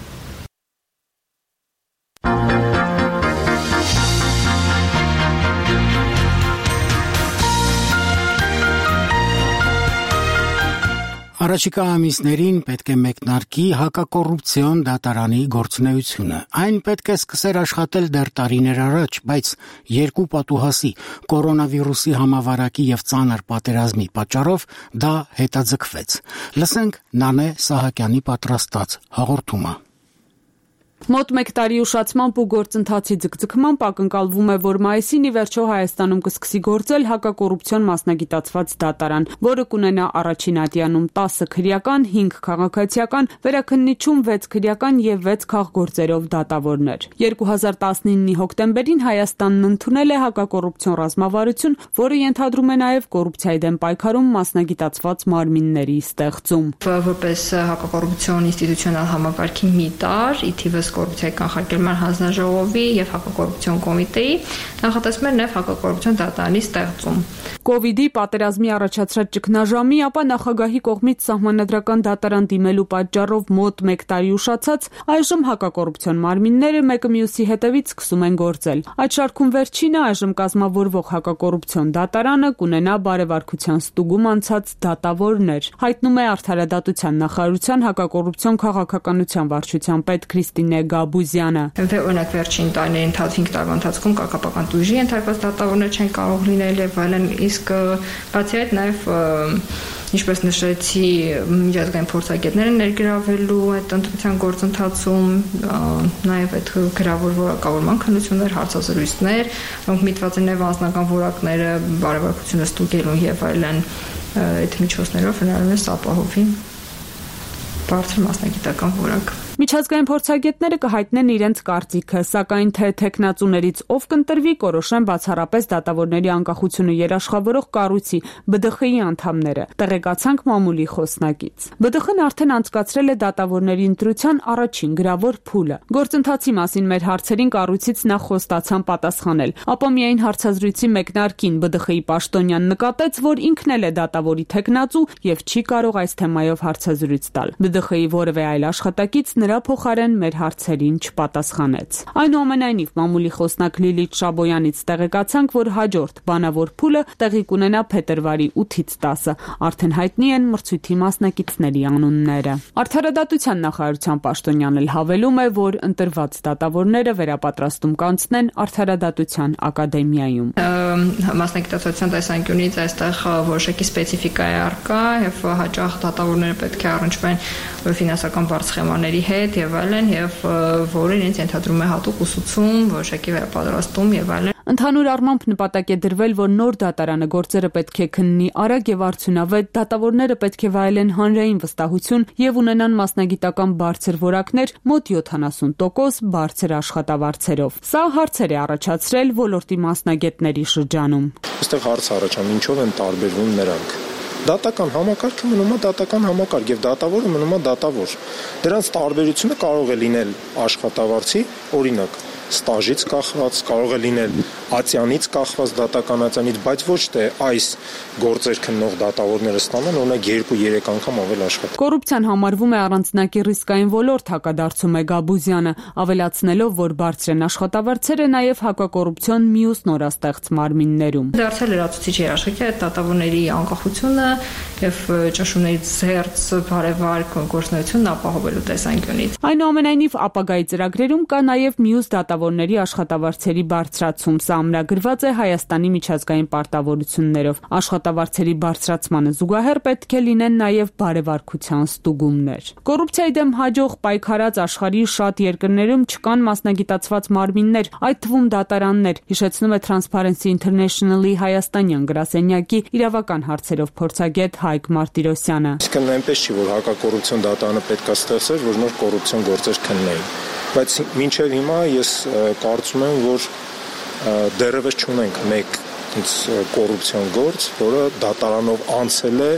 Առաջիկա ամիսներին պետք է մեկնարկի հակակոռուպցիոն դատարանի գործունեությունը։ Այն պետք է սկսեր աշխատել դեռ տարիներ առաջ, բայց երկու պատուհասի՝ կորոնավիրուսի համավարակի եւ ծանր պատերազմի պատճառով դա հետաձգվեց։ Լսենք Նանե Սահակյանի պատրաստած հաղորդումը։ Մոտ 1 տարի ուշացմամբ ու գործընթացի ձգձգմամբ ակնկալվում է, որ մայիսին ի վերջո Հայաստանում կսկսի գործել հակակոռուպցիոն մասնագիտացված դատարան, որը կունենա առաջին ատյանում 10 քրեական, 5 քաղաքացիական, վերաքննիչում 6 քրեական եւ 6 քաղգործերով դատավորներ։ 2019-ի հոկտեմբերին Հայաստանն ընդունել է հակակոռուպցիոն ռազմավարություն, որը ենթադրում է նաեւ կոռուպցիայի դեմ պայքարում մասնագիտացված մարմինների ստեղծում։ Որպես հակակոռուպցիոն ինստիտուցիոնալ համակարգի մի տար, ի թիվս կոռուպցիայի կանխարգելման հանձնաժողովի եւ հակակոռուպցիոն կոմիտեի նախատեսվում է նաեւ հակակոռուպցիոն դատարանի ստեղծում։ Կովիդի պատերազմի առաջացրած ճգնաժամի, ապա նախագահի կողմից սահմանադրական դատարան դիմելու պատճառով մոտ 1 տարի ուշացած, այժմ հակակոռուպցիոն մարմինները մեկը մյուսի հետևից սկսում են գործել։ Այդ շարքում վերջինը այժմ կազմավորվող հակակոռուպցիոն դատարանը կունենա բարեվարկության ստուգում անցած դատավորներ, հայտնում է Արդարադատության նախարարության հակակոռուպցիոն քաղաքականության վարչության պետ Քրիստինե Գաբուզյանը։ Օրինակ վերջին տարիների 5 տարվա ընթացքում կապական տույժի ենթարկված դատավորներ չեն կարող լինել եւ այլն, իսկ բացի այդ նաեւ ինչպես նշեցի, միջազգային փորձագետները ներգրավելու այդ ընտրության գործընթացում, նաև այդ գրավոր որակավորման քննություններ, հարցազրույցներ, որոնք միտված են նաև անձնական որակները, բարեվարկությունը ստուգելու եւ այլն, այդ միջոցներով հնարավոր է ապահովի բարձր մասնագիտական որակ։ Միջազգային փորձագետները կհայտնեն իրենց կարծիքը, սակայն թե թեկնածուներից ով կընտրվի, կորոշեն բացառապես դատավորների անկախությունը երաշխավորող կառույցի ԲԴԽ-ի անդամները, տեղեկացանք մամուլի խոսնակից։ ԲԴԽ-ն արդեն անցկացրել է դատավորների ընտրության առաջին գրավոր փուլը։ Գործընթացի մասին մեր հարցերին կառույցից նախ խոստացան պատասխանել, ապա միայն հարցազրույցի մեկնարկին ԲԴԽ-ի պաշտոնյան նկատեց, որ ինքն էլ է դատավորի թեկնածու եւ չի կարող այս թեմայով հարցազրույց տալ։ ԲԴԽ-ի որևէ այլ աշխատակից նրա փոխարեն մեր հարցերին չպատասխանեց։ Այնուամենայնիվ, մամուլի խոսնակ Լիլիթ Շաբոյանից տեղեկացանք, որ հաջորդ բանավոր փուլը տեղի կունենա փետրվարի 8-ից 10-ը։ Արդեն հայտնի են մրցույթի մասնակիցների անունները։ Արդարադատության նախարարության պաշտոնյան էլ հավելում է, որ ընտրված դատավորները վերապատրաստում կանցնեն Արդարադատության ակադեմիայում։ Մասնագիտացության տեսանկյունից այստեղ որոշակի սպეციფიკա է առկա եւ հաճախ դատավորները պետք է առնչվեն ֆինանսական բարձ սխեմաների հետ եւ այլն, եւ որը իրենց ենթադրում է հատուկ ուսուցում, որոշակի վերապատրաստում եւ այլն։ Ընդհանուր առմամբ նպատակ է դրվել, որ նոր դատարանը գործերը պետք է քննի արագ եւ արդյունավետ, դատավորները պետք է վայելեն հանրային վստահություն եւ ունենան մասնագիտական բարձր որակներ, մոտ 70% բարձր աշխատավարձերով։ Սա հարցեր է առաջացրել ոլորտի մասնագետների շրջանում։ Այստեղ հարց առաջանում, ինչով են տարբերվում նրանք։ Դատական համակարգը մնում է դատական համակարգ եւ դատավորը մնում է դատավոր։ Դրանց տարբերությունը կարող է լինել աշխատավարձի, օրինակ, ստաժից կախված, կարող է լինել ատյանից կախված դատական ատյանից, բայց ոչ թե այս գործեր քննող դատավորները ստանան օրինակ 2-3 անգամ ավել աշխատանք։ Կոռուպցիան համարվում է առանձնակի ռիսկային ոլորտ, հակադարձում է Գաբուզյանը, ավելացնելով, որ բարձր են աշխատավարձերը նաև հակակոռուպցիոն մյուս նորաստեղծ մարմիններում։ Դարձել լրացուցիչ երաշխիք է դատավորների անկախությունը եւ ճնշումներից զերծ բարեվար գործունեությունն ապահովելու տեսանկյունից։ Այնուամենայնիվ, ապագայի ծրագրերում կա նաև մյուս դատավորների աշխատավարձերի բարձրացում։ Սա ամրագրված է Հայաստանի միջազգային պարտավորություններով։ Աշխատավարձերի բարձրացմանը զուգահեռ պետք է լինեն նաև բարեվարկության ստուգումներ։ Կոռուպցիայի դեմ հաջող պայքարած աշխարհի շատ երկրներում չկան մասնագիտացված մարմիններ, այդ թվում դատարաններ, հիշեցնում է Transparency International-ի հայաստանյան գրասենյակի իրավական հարցերով փորձագետ Հայկ Մարտիրոսյանը։ Իսկ այնպես չի, որ հակակոռուպցիոն դատարանը պետք է ստեղծել, որ նոր կոռուպցիոն գործեր քննեին։ Բայց մինչև հիմա ես կարծում եմ, որ դեռևս չունենք մեկ կոռուպցիոն գործ, որը դատարանով անցել է,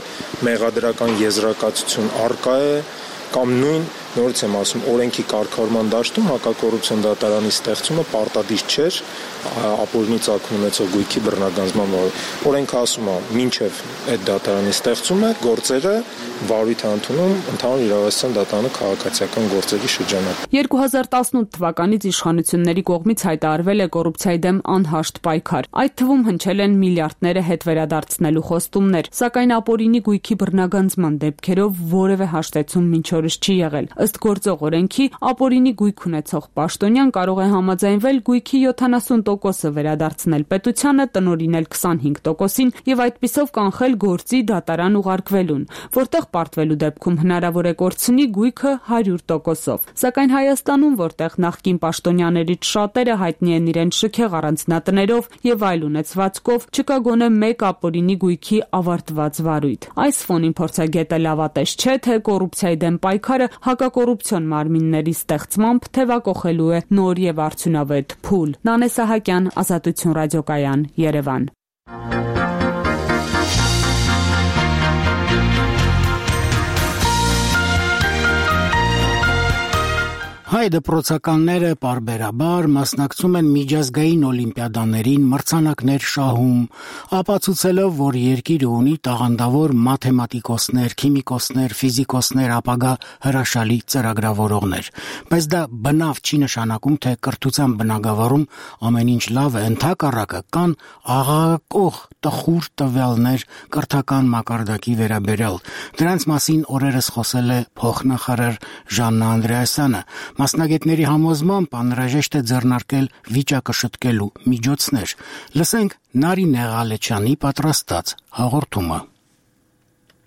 մեղադրական եզրակացություն առկա է, կամ նույն նորից եմ ասում, օրենքի կարգավորման դաշտում հակակոռուպցիոն դատարանի ստեղծումը պարտադիր չէր ապօրինի ծագում ունեցող գույքի բռնագանձման օրենքը ասում է, մինչև այդ դատարանի ստեղծումը գործերը վարույթ ընդունում ընդհանուր իրավասության դատարանը քաղաքացիական գործերի շրջանում։ 2018 թվականից իշխանությունների կողմից հայտարարվել է կոռուպցիայի դեմ անհաշտ պայքար։ Այդ թվում հնչել են միլիարդները հետ վերադարձնելու խոստումներ, սակայն ապօրինի գույքի բռնագանձման դեպքերով որևէ հաշտեցում մինչ օրս չի եղել։ Ըստ գործող օրենքի, ապօրինի գույք ունեցող պաշտոնյան կարող է համաձայնվել գույքի 70%-ը վերադարձնել պետությանը, տնօրինել 25%-ին եւ այդպիսով կանխել գործի դատարան ուղարկվելուն, որտեղ պարտվելու դեպքում հնարավոր է կորցնի գույքը 100%-ով։ Սակայն Հայաստանում, որտեղ նախկին պաշտոնյաներից շատերը հայտնի են իրենց շքեղ առանձնատներով եւ այլ ունեցվածքով, չկա գոնե մեկ ապօրինի գույքի ավարտված վարույթ։ Այս ֆոնին փորձագետը լավատես չէ, թե կոռուպցիայի դեմ պայքարը հակակոռուպցիոն մարմինների ստեղծմամբ թևակողելու է նոր եւ արդյունավետ փուլ։ Նանե Սահակյան, Ազատություն ռադիոկայան, Երևան։ Հայ դպրոցականները պարբերաբար մասնակցում են միջազգային օլիմպիադաներին, մրցանակներ շահում, ապացուցելով, որ երկիրը ունի տաղանդավոր մաթեմատիկոսներ, քիմիկոսներ, ֆիզիկոսներ, ապագա հրաշալի ծրագրավորողներ։ Բայց դա բնավ չի նշանակում, թե կրթության բնագավառում ամեն ինչ լավ է, ընդհակառակը կան աղաղակող տխուր տվյալներ կրթական մակարդակի վերաբերյալ։ Դրանց մասին օրերս խոսել է փոխնախարար Ժաննա Անդրեասյանը։ Մասնագետների համոզմամբ անհրաժեշտ է ձեռնարկել վիճակը շտկելու միջոցներ։ Լսենք Նարինե Ղալեչյանի պատրաստած հաղորդումը։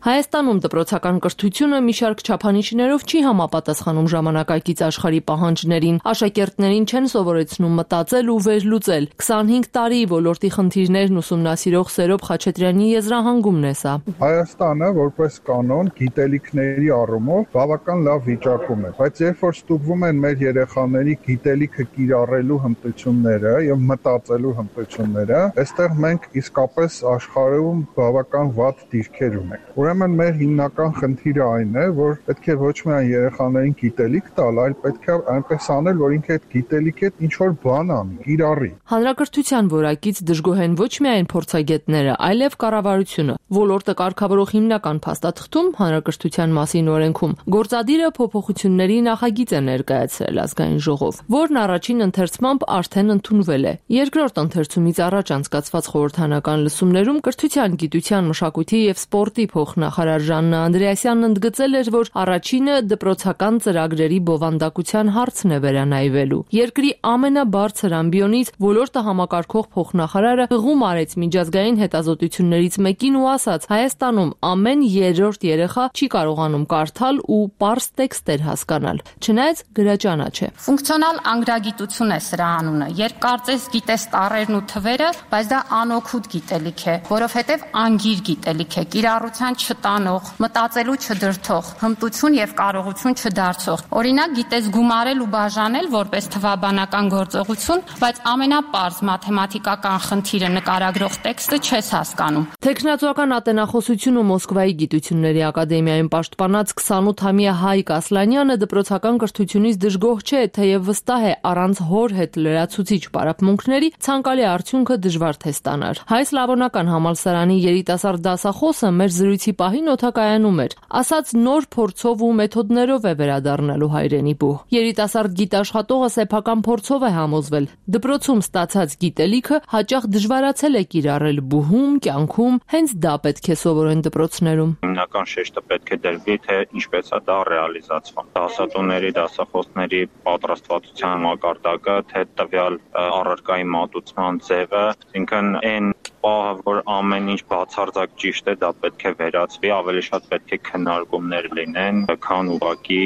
Հայաստանում դպրոցական կրթությունը մի շարք չափանիշներով չի համապատասխանում ժամանակակից աշխարհի պահանջներին։ Աշակերտներին չեն սովորեցնում մտածել ու վերլուծել։ 25 տարի ոլորտի խնդիրներն ուսումնասիրող Սերոբ Խաչատրյանի եզրահանգումն է սա։ Հայաստանը որպես կանոն գիտելիքների առումով բավական լավ վիճակում է, բայց երբ որ ստուգվում են մեր երեխաների գիտելիքը կիրառելու հմտությունները եւ մտածելու հմտությունները, այստեղ մենք իսկապես աշխարհում բավական վատ դիրքեր ունենք։ Ուրեմն մեր հիմնական խնդիրը այն է, որ պետք է ոչ միայն երեխաներին գիտելիք տալ, այլ պետք է այնպես անել, որ ինքը այդ գիտելիքի հետ ինչ որ բան անի, կիրառի։ Հանրակրթության որակից դժգոհ են ոչ միայն փորձագետները, այլև կառավարությունը։ Ոլորտը կարգավորող հիմնական փաստաթղթում հանրակրթության մասին օրենքում գործադիրը փոփոխությունների նախագիծ է ներկայացրել ազգային ժողով, որն առաջին ընթերցմամբ արդեն ընդունվել է։ Երկրորդ ընթերցումից առաջ անցկացված խորհրդանական լսումներում կրթության, գիտության, մշակույթի եւ սպորտի փոխնախարար Ժաննա Անդրեասյանն ընդգծել էր, որ առաջինը դպրոցական ծրագրերի բովանդակության հարցն է վերանայվելու։ Երկրի ամենաբարձր ամբիոնից ոլորտը համակարգող փոխնախարարը հղում արեց միջազգային հետազոտություններից մեկին ու ասաց. Հայաստանում ամեն երրորդ երեխա չի կարողանում կարդալ ու պարզ տեքստեր հասկանալ, չնայած գրաճանաչ է։ Ֆունկցիոնալ անգրագիտություն է սրա անունը, երբ կարծես գիտես տառերն ու թվերը, բայց դա անօգուտ գիտելիք է, որովհետև անգիր գիտելիք է, կիրառության չտանող, մտածելու չդրթող, հմտություն եւ կարողություն չդարձող։ Օրինակ գիտես գումարել ու բաժանել որպես թվաբանական գործողություն, բայց ամենապարզ մաթեմատիկական խնդիրը նկարագրող տեքստը չես հասկանում։ Տեխնացուական ատենախոսությունը Մոսկվայի գիտությունների ակադեմիայում պաշտպանած 28-ամյա Հայկ Ասլանյանը դպրոցական կրթությունից դժգոհ չէ, թեև վստահ է առանց հոր հետ լրացուցիչ պարապմունքների ցանկալի արդյունքը դժվար թե ստանար։ Հայ Սլավոնական համալսարանի երիտասարդ դասախոսը մեր զրույցի պահին օդակայանում էր, ասաց նոր փորձով ու մեթոդներով է վերադառնալու հայրենի բուհ։ Երիտասարդ գիտաշխատողը սեփական փորձով է համոզվել, դպրոցում ստացած գիտելիքը հաճախ դժվարացել է կիրառել բուհում, կյանքում, հենց դա պետք է սովորեն դպրոցներում։ Հիմնական շեշտը պետք է դրվի, թե ինչպես է դա ռեալիզացվում։ Դասատուների, դասախոսների պատրաստվածության մակարդակը, թե տվյալ առարկայի մատուցման ձևը, ինքն այն պահը, որ ամեն ինչ բացարձակ ճիշտ է, դա պետք է վերացվի, ավելի շատ պետք է քննարկումներ լինեն, քան ուղղակի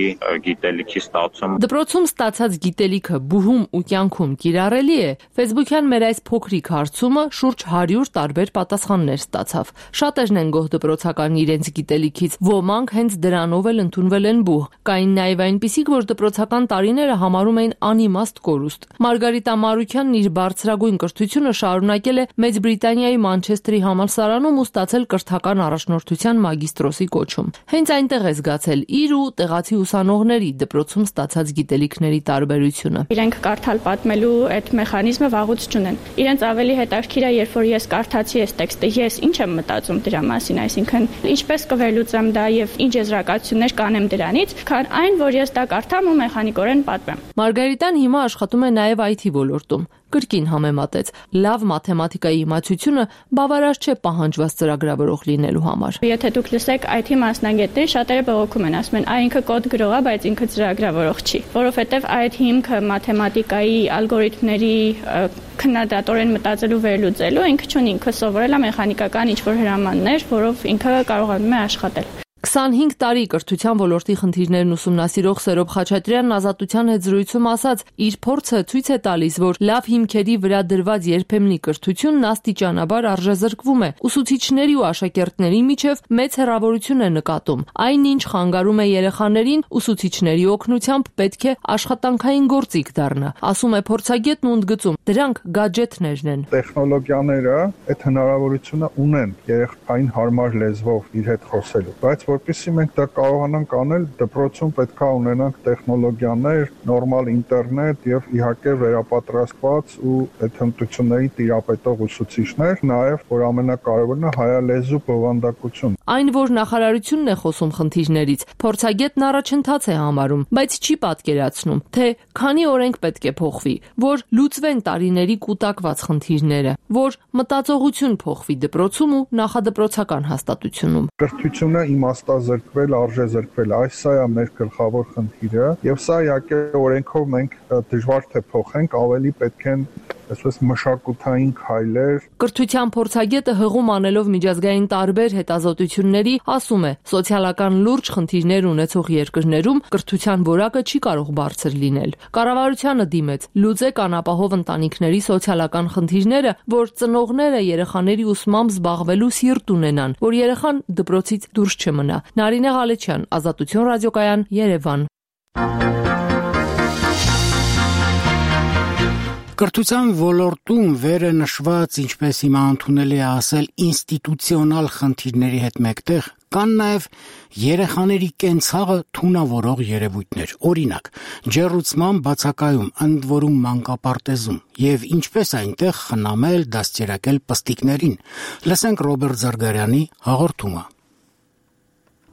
գիտելիքի ստացում։ Դպրոցում ստացած գիտելիքը բուհում ու կյանքում կիրառելի է։ Facebook-յան մեր այս փոքրիկ հարցումը շուրջ 100 տարբեր պատասխաններ ստացավ։ Շատերն են գոհ դպրոցական իրենց գիտելիքից, ոմանք հենց դրանով էլ ընդունվել են բուհ։ Կային նաև այնպիսիք, որ դպրոցական տարիները համարում էին անիմաստ կորուստ։ Մարգարիտա Մարուքյանն իր բարձրագույն կրթությունը շարունակել է Մեծ Բրիտանիայի Մանչեստրի համալսարանում ու ստացել կրթական առաջնորդության մագիստրոսի կոչում։ Հենց այնտեղ է զգացել իր ու տեղացի ուսանողների դպրոցում ստացած գիտելիքների տարբերությունը։ Իրենք կարդալ պատմելու այդ մեխանիզմը վաղուց չունեն։ Իրենց ավելի հետաքրքիր է, երբ որ ես կարդացի այս տեքստը, ես ինչ եմ մտածում դրա մասին, այսինքն ինչպես կվերլուծեմ դա եւ ինչ եզրակացություններ կանեմ դրանից, քան այն, որ ես դա կարդամ ու մեխանիկորեն պատմեմ։ Մարգարիտան հիմա աշխատում է նաև IT ոլորտում։ Կրկին համեմատեց. լավ մաթեմատիկայի իմացությունը բավարար չէ պահանջված ծրագրավորող լինելու համար։ Եթե դուք լսեք IT մասնագետներ, շատերը բողոքում են, ասում են, ինքը կոդ գրող է, բայց ինքը ծրագրավորող չի, որովհետև այդ հիմքը մաթեմատիկայի ալգորիթմների քննադատորեն մտածելու վերլուծելու ինքը չունի, ինքը սովորել է մեխանիկական ինչ-որ հրամաններ, որով ինքը կարողանում է աշխատել։ 25 տարի կրթության ոլորտի խնդիրներն ուսումնասիրող Սերոբ Խաչատրյանն Ազատության հետ զրույցում ասաց, իր փորձը ցույց է տալիս, որ լավ հիմքերի վրա դրված երբեմնի կրթությունն աստիճանաբար արժեզրկվում է։ Ուսուցիչների ու աշակերտների միջև մեծ հեռավորություն է նկատում։ Այնինչ խանգարում է երեխաներին, ուսուցիչների օգնությամբ պետք է աշխատանքային գործիք դառնա, ասում է փորձագետն ու ընդգծում. դրանք գադջեթներն են։ Տեխնոլոգիաները այդ հնարավորությունը ունեն երեխային հարմար լեզվով իր հետ խոսելու, բայց որպեսզի մենք դա կարողանանք անել, դպրոցում պետք է ունենանք տեխնոլոգիաներ, նորմալ ինտերնետ եւ իհարկե վերապատրաստված ու այդ հմտությունների տիրապետող ուսուցիչներ, նաեւ որ ամենակարևորն է հայալեզու բովանդակություն։ Այն, որ նախարարությունն է խոսում խնդիրներից, փորձագետն առաջընթաց է համարում, բայց չի պատկերացնում, թե քանի օրենք պետք է փոխվի, որ լուծվեն տարիների կուտակված խնդիրները, որ մտածողություն փոխվի դպրոցում ու նախադպրոցական հաստատությունում։ Կրթությունը իմաստազրկվել, արժեզրկվել, սա է մեր գլխավոր խնդիրը, եւ սա իհարկե օրենքով մենք դժվար թե փոխենք, ավելի պետք են այսպես մշակութային քայլեր։ Կրթության փորձագետը հղում անելով միջազգային տարբեր հետազոտությունների, ասում է, սոցիալական լուրջ խնդիրներ ունեցող երկրներում կրթության որակը չի կարող բարձր լինել։ Կառավարությանը դիմեց լուծեք անապահով ընտանիքների սոցիալական խնդիրները, որ ծնողները երեխաների ուսմամբ զբաղվելու սիրտ ունենան, որ երեխան դպրոցից դուրս չմնա։ Նարինե Ղալեչյան, Ազատություն ռադիոկայան, Երևան։ Կրթության ոլորտում վերը նշված, ինչպես հիմա ընդունել է ասել, ինստիտուցիոնալ խնդիրների հետ մեկտեղ Կան նաև երեխաների կենցաղը թունավորող երևույթներ, օրինակ, ջեռուցման բացակայում, ընդ որում մանկապարտեզում, եւ ինչպես այնտեղ խնամել, դաստիարակել պստիկներին։ Լսենք Ռոբերտ Զարգարյանի հաղորդումը։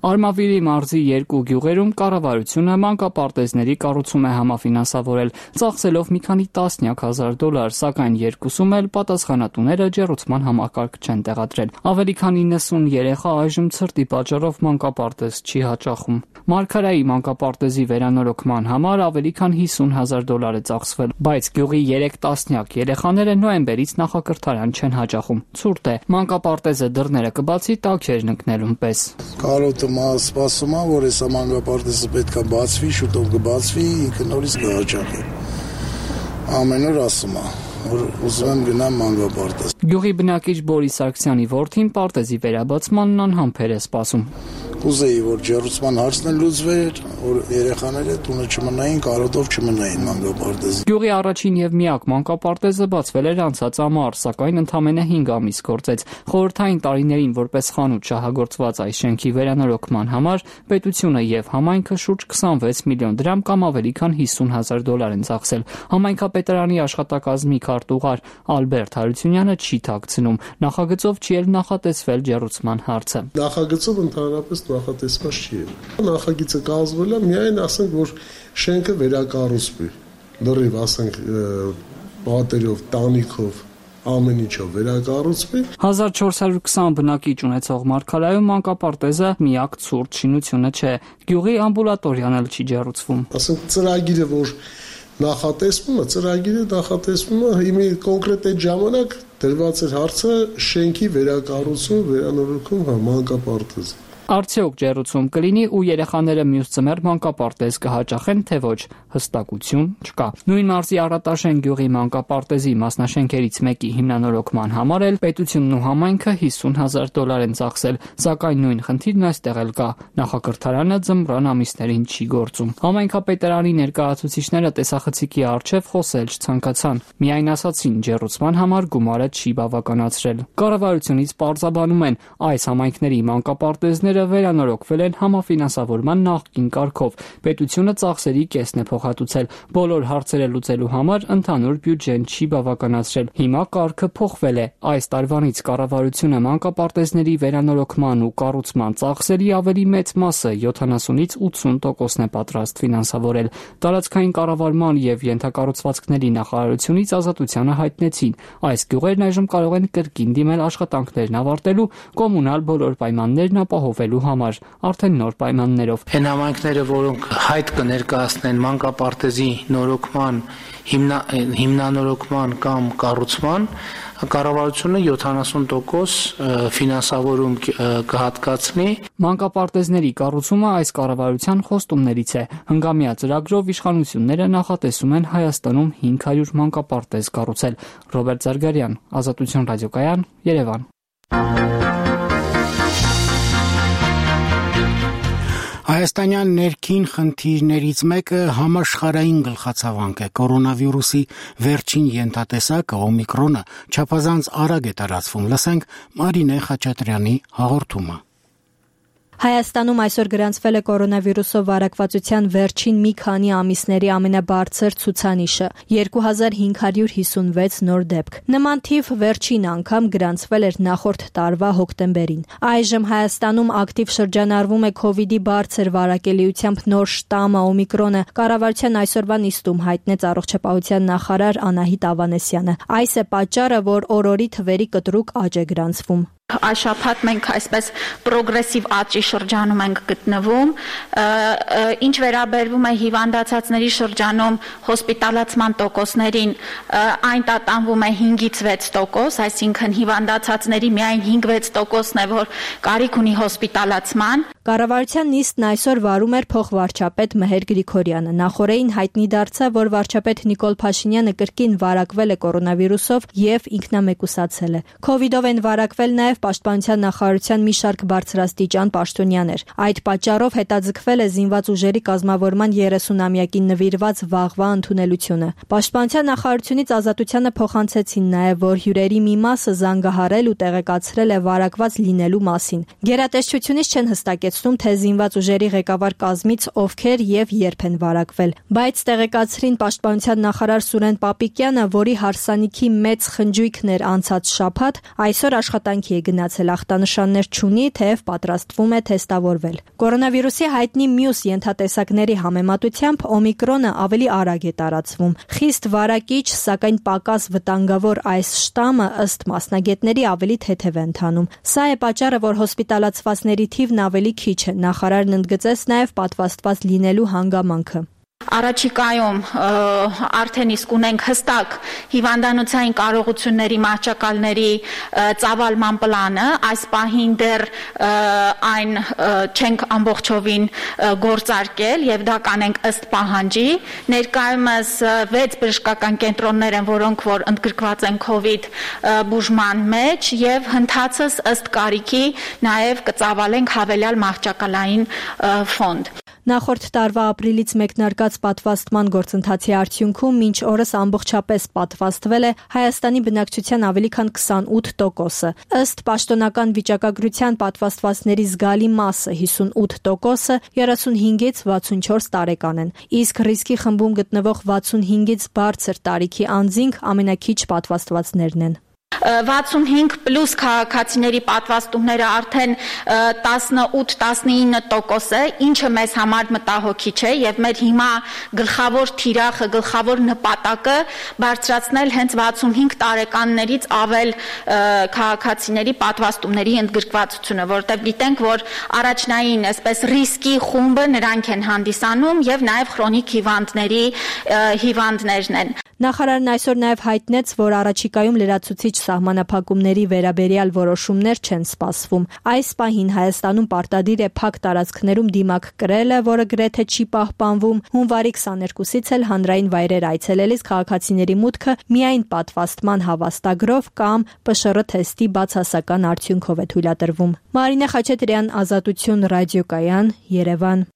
Արմավիրի մարզի 2 գյուղերում կառավարությունը մանկապարտեզների կառուցում է համաֆինանսավորել, ծախսելով մի քանի տասնյակ հազար դոլար, սակայն երկուսում էլ պատասխանատուները ջեռուցման համակարգ չեն տեղադրել։ Ավելի քան 90 երեխա այժմ ցրտի պատճառով մանկապարտեզ չի հաճախում։ Մարգարայի մանկապարտեզի վերանորոգման համար ավելի քան 50,000 դոլար է ծախսվել, բայց գյուղի 3 տասնյակ երեխաները նոյեմբերից նախակրթարան չեն հաճախում։ Ցուրտ է, մանկապարտեզը դռները կբացի տաքերն ընկնելուն պես։ Սպասում եմ, որ այս մանկապարտեզը պետք է բացվի, շուտով կբացվի, ինքը նորից կհաճախի։ Ամեն օր ասում եմ, որ ուզում եմ գնամ մանկապարտեզ։ Գյուղի բնակիչ Բորիս Սարգսյանի որդին պարտեզի վերաբացմանն անհամբեր է սպասում։ Կուզեի, որ ջեռուցման հարցն էլ լուծվեր, որ երեխաները տունը չմնային, կարոտով չմնային մանկապարտեզի։ Գյուղի առաջին եւ միակ մանկապարտեզը բացվել էր անցած ամառ, սակայն ընդամենը 5 ամիս գործեց։ Խորհրդային տարիներին որպես խանութ շահագործված այս շենքի վերանորոգման համար պետությունը եւ համայնքը շուրջ 26 միլիոն դրամ կամ ավելի քան 50,000 դոլար են ծախսել։ Համայնքապետարանի աշխատակազմի քարտուղար Ալբերտ Հարությունյանը չի թաքցնում, նախագծով չի էլ նախատեսվել ջեռուցման հարցը։ Նախագծով ընդհանրապես նախատեսված չի եղել։ Նախագիծը կազմվել է միայն ասենք, որ շենքը վերակառուցվի։ Լրիվ ասենք պատերով, տանիքով, ամեն ինչով վերակառուցվի։ 1420 բնակիչ ունեցող Մարգարայում մանկապարտեզը միակ ցուրտ շինությունը չէ։ Գյուղի ամբուլատորիան էլ չի ջեռուցվում։ Ասենք ծրագիրը, որ ծրագիրը նախատեսվում է հիմի կոնկրետ այդ ժամանակ դրված էր հարցը շենքի վերակառուցում, վերանորոգում մանկապարտեզի։ Արդյոք ջեռուցում կլինի ու երեխաները մյուս ձմեռ մանկապարտեզ կհաճախեն, թե ոչ, հստակություն չկա։ Նույն մարզի Արատաշեն գյուղի մանկապարտեզի մասնաշենքերից մեկի հիմնանորոգման համար էլ պետությունն ու համայնքը 50,000 դոլար են ծախսել, սակայն նույն խնդիրն այստեղ էլ կա։ Նախակրթարանը ձմռան ամիսներին չի գործում։ Համայնքապետարանի ներկայացուցիչները տեսախցիկի առջև խոսել չցանկացան։ Միայն ասացին, ջեռուցման համար գումարը չի բավականացրել։ Կառավարությունից պարզաբանում են, այս համայնքների մանկապարտեզները վերանորոգվել են համաֆինանսավորման նախկին կարգով։ Պետությունը ծախսերի կեսն է փոխհատուցել։ Բոլոր հարցերը լուծելու համար ընդհանուր բյուջեն չի բավականացրել։ Հիմա կարգը փոխվել է։ Այս տարվանից կառավարությունը մանկապարտեզների վերանորոգման ու կառուցման ծախսերի ավելի մեծ մասը 70-ից 80%-ն է պատրաստ ֆինանսավորել։ Տարածքային կառավարման եւ ենթակառուցվածքների նախարարությունից Ազատությանը հայտնեցին, այս գյուղերն այժմ կարող են կրկին դիմել աշխատանքներն ավարտելու, կոմունալ բոլոր պայմաններն ապահովելու համար, արդեն նոր պայմաններով։ Այն համայնքները, որոնք հայտ կներկայացնեն մանկապարտեզի նորոգման, հիմնանորոգման կամ կառուցման, կառավարությունը 70% ֆինանսավորում կհատկացնի։ Մանկապարտեզների կառուցումը այս կառավարության խոստումներից է։ Հնգամյա ծրագրով իշխանությունները նախատեսում են Հայաստանում 500 մանկապարտեզ կառուցել։ Ռոբերտ Զարգարյան, Ազատություն ռադիոկայան, Երևան։ Հայաստանյան ներքին խնդիրներից մեկը համաշխարհային գլխացավանք է։ Կորոնավիրուսի վերջին ենթատեսակը օմիկրոնը չափազանց արագ է տարածվում։ Լսենք Մարինե Խաչատրյանի հաղորդումը։ Հայաստանում այսօր գրանցվել է կորոնավիրուսով վարակվածության վերջին մի քանի ամիսների ամենաբարձր ցուցանիշը՝ 2556 նոր դեպք։ Նման թիվ վերջին անգամ գրանցվել էր նախորդ տարվա հոկտեմբերին։ Այժմ Հայաստանում ակտիվ շրջանառվում է COVID-ի բարձր վարակելիությամբ նոր շտամը օմիկրոնը, կառավարության այսօրվա նիստում հայտնեց առողջապահության նախարար Անահիտ Ավանեսյանը։ Այս է պատճառը, որ օրորի թվերի կտրուկ աճ է գրանցվում։ Այս շաբաթ մենք այսպես պրոգրեսիվ աճի շրջանում ենք գտնվում, ինչ վերաբերվում է հիվանդացածների շրջանում հոսպիտալացման տոկոսներին, այն տատանվում է 5-ից 6%, այսինքն հիվանդացածների միայն 5-6%-ն է, որ կարիք ունի հոսպիտալացման։ Կառավարության նիստն այսօր վարում էր փոխվարչապետ Մհեր Գրիգորյանը։ Նախորդին հայտնի դարձավ, որ վարչապետ Նիկոլ Փաշինյանը կրկին վարակվել է կորոնավիրուսով եւ ինքնամեկուսացել է։ Քովիդով են վարակվել նաեւ Պաշտպանության նախարարության մի շարք բարձրաստիճան պաշտոնյաներ։ Այդ պատճառով հետաձգվել է զինված ուժերի կազմավորման 30-ամյակին նվիրված վաղվա ընդունելությունը։ Պաշտպանության նախարարությունից Ազատությանը փոխանցեցին նաեւ, որ հյուրերի մի մասը զանգահարել ու տեղեկացրել է վարակված լինելու մասին։ Գերատեսչությունից չեն հստակեցնում, թե զինված ուժերի ղեկավար կազմից ովքեր եւ երբ են վարակվել, բայց տեղեկացրին Պաշտպանության նախարար Սուրեն Պապիկյանը, որի հարսանիքի մեծ խնջույքն էր անցած շաբաթ, այսօր աշխատանքի է գնացել, ախտանշաններ չունի, թեև պատրաստվում է թեստավորվել։ Կորոնավիրուսի հայտնի մյուս ենթատեսակների համեմատությամբ օմիկրոնը ավելի արագ է տարածվում։ Խիստ վարակիչ, սակայն պակաս վտանգավոր այս շտամը ըստ մասնագետների ավելի թեթև է ընթանում։ Սա է պատճառը, որ հոսպիտալացվածների թիվն ավելի քիչ է։ Նախարարն ընդգծեց նաև պատվաստված լինելու հանգամանքը։ Առաջիկայում արդեն իսկ ունենք հստակ հիվանդանոցային կարողությունների մահճակալների ծավալման պլանը, այս պահին դեռ այն չենք ամբողջովին գործարկել եւ դա կանենք ըստ պահանջի։ Ներկայումս 6 բժշկական կենտրոններ են, որոնք որ ընդգրկված են COVID բուժման մեջ եւ հնդածս ըստ կարիքի նաեւ կծավալենք հավելյալ մահճակալային ֆոնդ։ Նախորդ տարվա ապրիլից մեկնարկած պատվաստման գործընթացի արդյունքում մինչ օրս ամբողջապես պատվաստվել է Հայաստանի բնակչության ավելի քան 28%-ը։ Ըստ պաշտոնական վիճակագրության պատվաստվածների զգալի մասը 58%-ը 35-ից 64 տարեկան են, իսկ ռիսկի խմբում գտնվող 65-ից բարձր տարիքի անձինք ամենակիչ պատվաստվածներն են։ 65+ քաղաքացիների պատվաստումները արդեն 18-19% է, ինչը մեզ համար մտահոգիչ է եւ մեր հիմա գլխավոր թիրախը, գլխավոր նպատակը բարձրացնել հենց 65 տարեկաններից ավել քաղաքացիների պատվաստումների ընդգրկվածությունը, որովհետեւ գիտենք, որ առաջնային այսպես ռիսկի խումբը նրանք են հանդիսանում եւ նաեւ քրոնիկ հիվանդներն են։ Նախարարն այսօր նաև հայտնեց, որ առաջիկայում լրացուցիչ սահմանափակումների վերաբերյալ որոշումներ չեն սպասվում։ Այս պահին Հայաստանում պարտադիր է փակ տարածքներում դիմակ կրելը, որը գրեթե չի պահպանվում։ Հունվարի 22-ից էլ հանրային վայրեր այցելելիս քաղաքացիների մուտքը միայն պատվաստման հավաստագրով կամ ՊՇՌ թեստի բացասական արդյունքով է թույլատրվում։ Մարինե Խաչատրյան, Ազատություն ռադիոկայան, Երևան։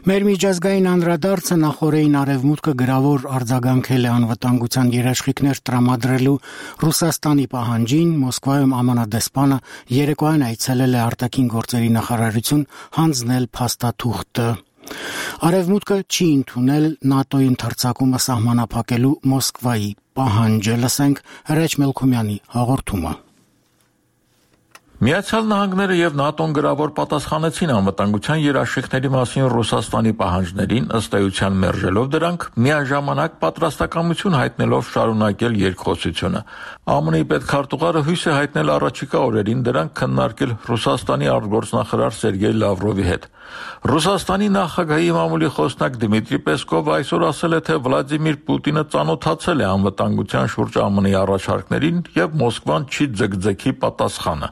Մեր միջազգային անդրադարձը նախորդին արևմուտքը գրավոր արձագանքել է անվտանգության երաշխիքներ տրամադրելու Ռուսաստանի պահանջին, Մոսկվայում ԱՄՆ դեսպանը երեկոյան այցելել է արտաքին գործերի նախարարություն հանձնել փաստաթուղթը։ Արևմուտքը չի ընդունել ՆԱՏՕ-ի ընդարձակումը սահմանափակելու Մոսկվայի պահանջը, լսենք Հրաչ Մելքումյանի հաղորդումը։ Միացյալ Նահանգները եւ ՆԱՏՕ-ն գրավոր պատասխանեցին անվտանգության երաշխիքների մասին Ռուսաստանի պահանջներին, ըստ էության մերժելով դրանք, միաժամանակ պատրաստակամություն հայտնելով շարունակել երկխոսությունը։ ԱՄՆ-ի պետքարտուղարը հույս է հայտնել առաջիկա օրերին դրանք քննարկել Ռուսաստանի արտգործնախարար Սերգեյ Լավրովի հետ։ Ռուսաստանի նախագահի մամուլի խոսնակ Դմիտրի Պեսկովը այսօր ասել է, թե Վլադիմիր Պուտինը ծանոթացել է անվտանգության շուրջ ԱՄՆ-ի առաջարկներին եւ Մոսկվան չի ձգձգի պատասխանը։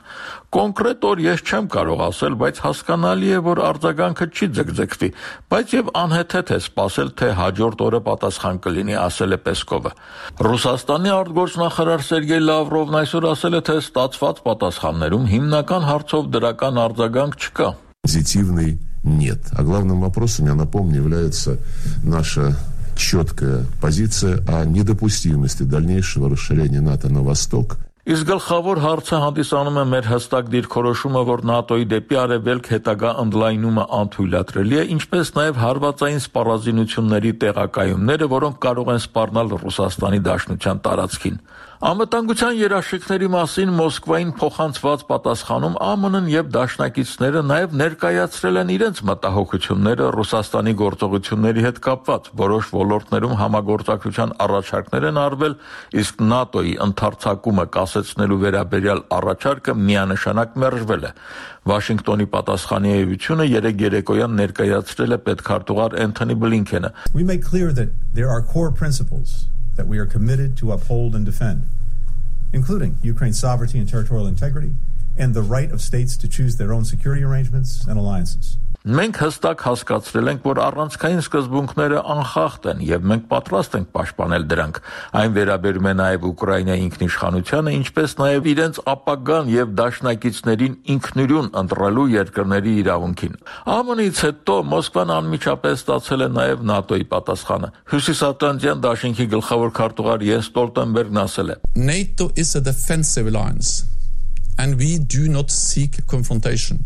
Կոնկրետ օր ես չեմ կարող ասել, բայց հասկանալի է, որ արձագանքը չի ձգձգվի, բայց եւ անհեթեթ է սպասել, թե հաջորդ օրը պատասխան կլինի, ասել է Պեսկովը։ Ռուսաստանի արտգործնախարար Սերգեյ Լավրովն այսօր ասել է, թե ստացված պատասխաններում հիմնական հարցով դրական արձագանք չկա։ Позитивный нет. А главным вопросом, я напомню, является наша четкая позиция о недопустимости дальнейшего расширения НАТО на восток. Իսկ գլխավոր հարցը հանդիսանում է մեր հստակ դիրքորոշումը, որ ՆԱՏՕ-ի դեպի արևելք հետագա ընդլայնումը անթույլատրելի է, ինչպես նաև հարվածային սպառազինությունների տեղակայումները, որոնք կարող են սպառնալ Ռուսաստանի Դաշնության տարածքին։ Անվտանգության երաշխիքների մասին Մոսկվային փոխանցված պատասխանում ԱՄՆ-ն եւ դաշնակիցները նաեւ ներկայացրել են իրենց մտահոգությունները Ռուսաստանի գործողությունների հետ կապված, որոշ ոլորտներում համագործակցության առաջարկներ են արվել, իսկ ՆԱՏՕ-ի ընդարձակումը կասեցնելու վերաբերյալ առաջարկը միանշանակ մերժվել է։ Վաշինգտոնի պատասխանի էությունը երեկ երեկոյան ներկայացրել է պետքարտուղար Էնթոնի Բլինքենը։ We make clear that there are core principles that we are committed to uphold and defend, including Ukraine's sovereignty and territorial integrity, and the right of states to choose their own security arrangements and alliances. Մենք հստակ հասկացրել ենք, որ առանցքային սկզբունքները անխախտ են եւ մենք պատրաստ ենք պաշտպանել դրանք։ Այն վերաբերում է նաեւ Ուկրաինայի ինքնիշխանությանը, ինչպես նաեւ իրենց ապագան եւ դաշնակիցներին ինքնուրույն ընտրելու երկրների իրավունքին։ ԱՄՆ-ից հետո Մոսկվան անմիջապես ստացել է նաեւ ՆԱՏՕ-ի պատասխանը։ Հյուսիսատլանտյան դաշինքի գլխավոր քարտուղար Յենս Ստոլտենբերգն ասել է. NATO is a defensive alliance and we do not seek confrontation.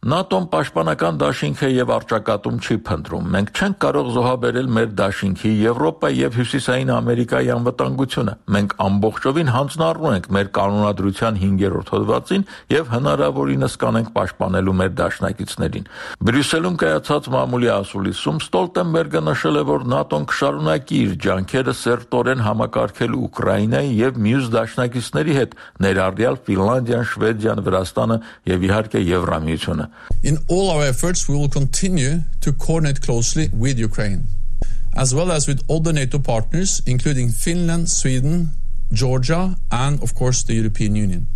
ՆԱՏՕ-ն պաշտպանական դաշինք է եւ արճակատում չի փնտրում։ Մենք չենք կարող զոհաբերել մեր դաշինքի, Եվրոպայի եւ Հյուսիսային Ամերիկայի անվտանգությունը։ Մենք ամբողջովին հանձնառու ենք մեր կանոնադրության 5-րդ հոդվածին եւ հնարավորինս կանենք պաշտպանելու մեր դաշնակիցներին։ Բրյուսելում կայացած մամուլի ասուլիսում Ստոլտենբերգը նշել է, որ ՆԱՏՕ-ն կշարունակի իր ջանքերը սերտորեն համակարգել Ուկրաինայի եւ մյուս դաշնակիցների հետ, ներառյալ Ֆինլանդիան, Շվեդիան, Վրաստանը եւ իհարկե Եվրամիությունը։ In all our efforts, we will continue to coordinate closely with Ukraine, as well as with other NATO partners, including Finland, Sweden, Georgia, and of course the European Union.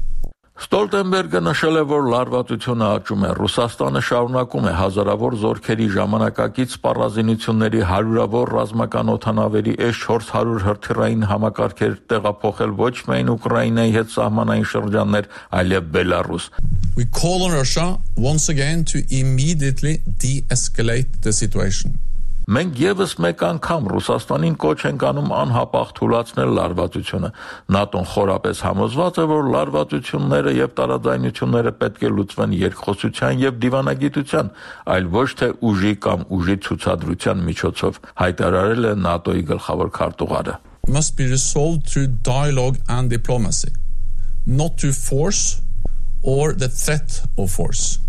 Ստոլտենբերգը նշել է, որ լարվածությունը աճում է։ Ռուսաստանը շարունակում է հազարավոր զորքերի ժամանակակից սպառազինությունների հարյուրավոր ռազմական օդանավերի S-400 հրթիռային համակարգեր տեղափոխել ոչ միայն Ուկրաինայի հետ սահմանային շրջաններ, այլև Բելարուս։ We call on Russia once again to immediately de-escalate the situation. Մենք եւս մեկ անգամ Ռուսաստանին կոչ ենք անում անհապաղ թուլացնել լարվածությունը։ ՆԱՏՕ-ն խորապես համոզված է, որ լարվածությունները եւ տարաձայնությունները պետք է լուծվեն երկխոսության եւ դիվանագիտության, այլ ոչ թե ուժի կամ ուժի ցուցադրության միջոցով, հայտարարել է ՆԱՏՕ-ի գլխավոր քարտուղարը։ Must be resolved through dialogue and diplomacy, not through force or the threat of force.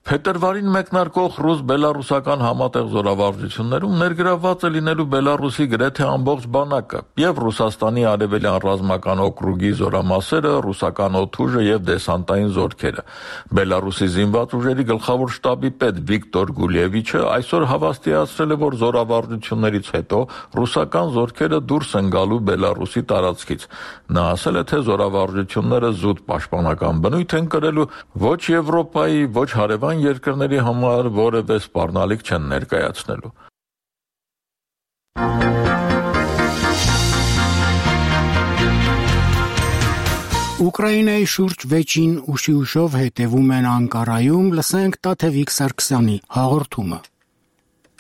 Փետրվարին մեկնարկող ռուս-բելարուսական համատեղ զորավարժություններում ներգրավված է լինելու Բելարուսի գրեթե ամբողջ բանակը եւ Ռուսաստանի արևելյան ռազմական օկրուգի զորամասերը, ռուսական օդուժը եւ դեսանտային զորքերը։ Բելարուսի զինված ուժերի գլխավոր շտաբի պետ Վիկտոր Գուլևիչը այսօր հավաստիացրել է, որ զորավարժություններից հետո ռուսական զորքերը դուրս են գալու Բելարուսի տարածքից։ Նա ասել է, թե զորավարժությունները զուտ պաշտպանական բնույթ են կրելու, ոչ Եվրոպայի, ոչ հարևան երկրների համար որևէ սպառնալիք չեն ներկայացնելու։ Ուկրաինայի շուրջ վեճին ուշիուշով հետևում են Անկարայում, լսենք Տաթևիկ Սարգսյանի հաղորդումը։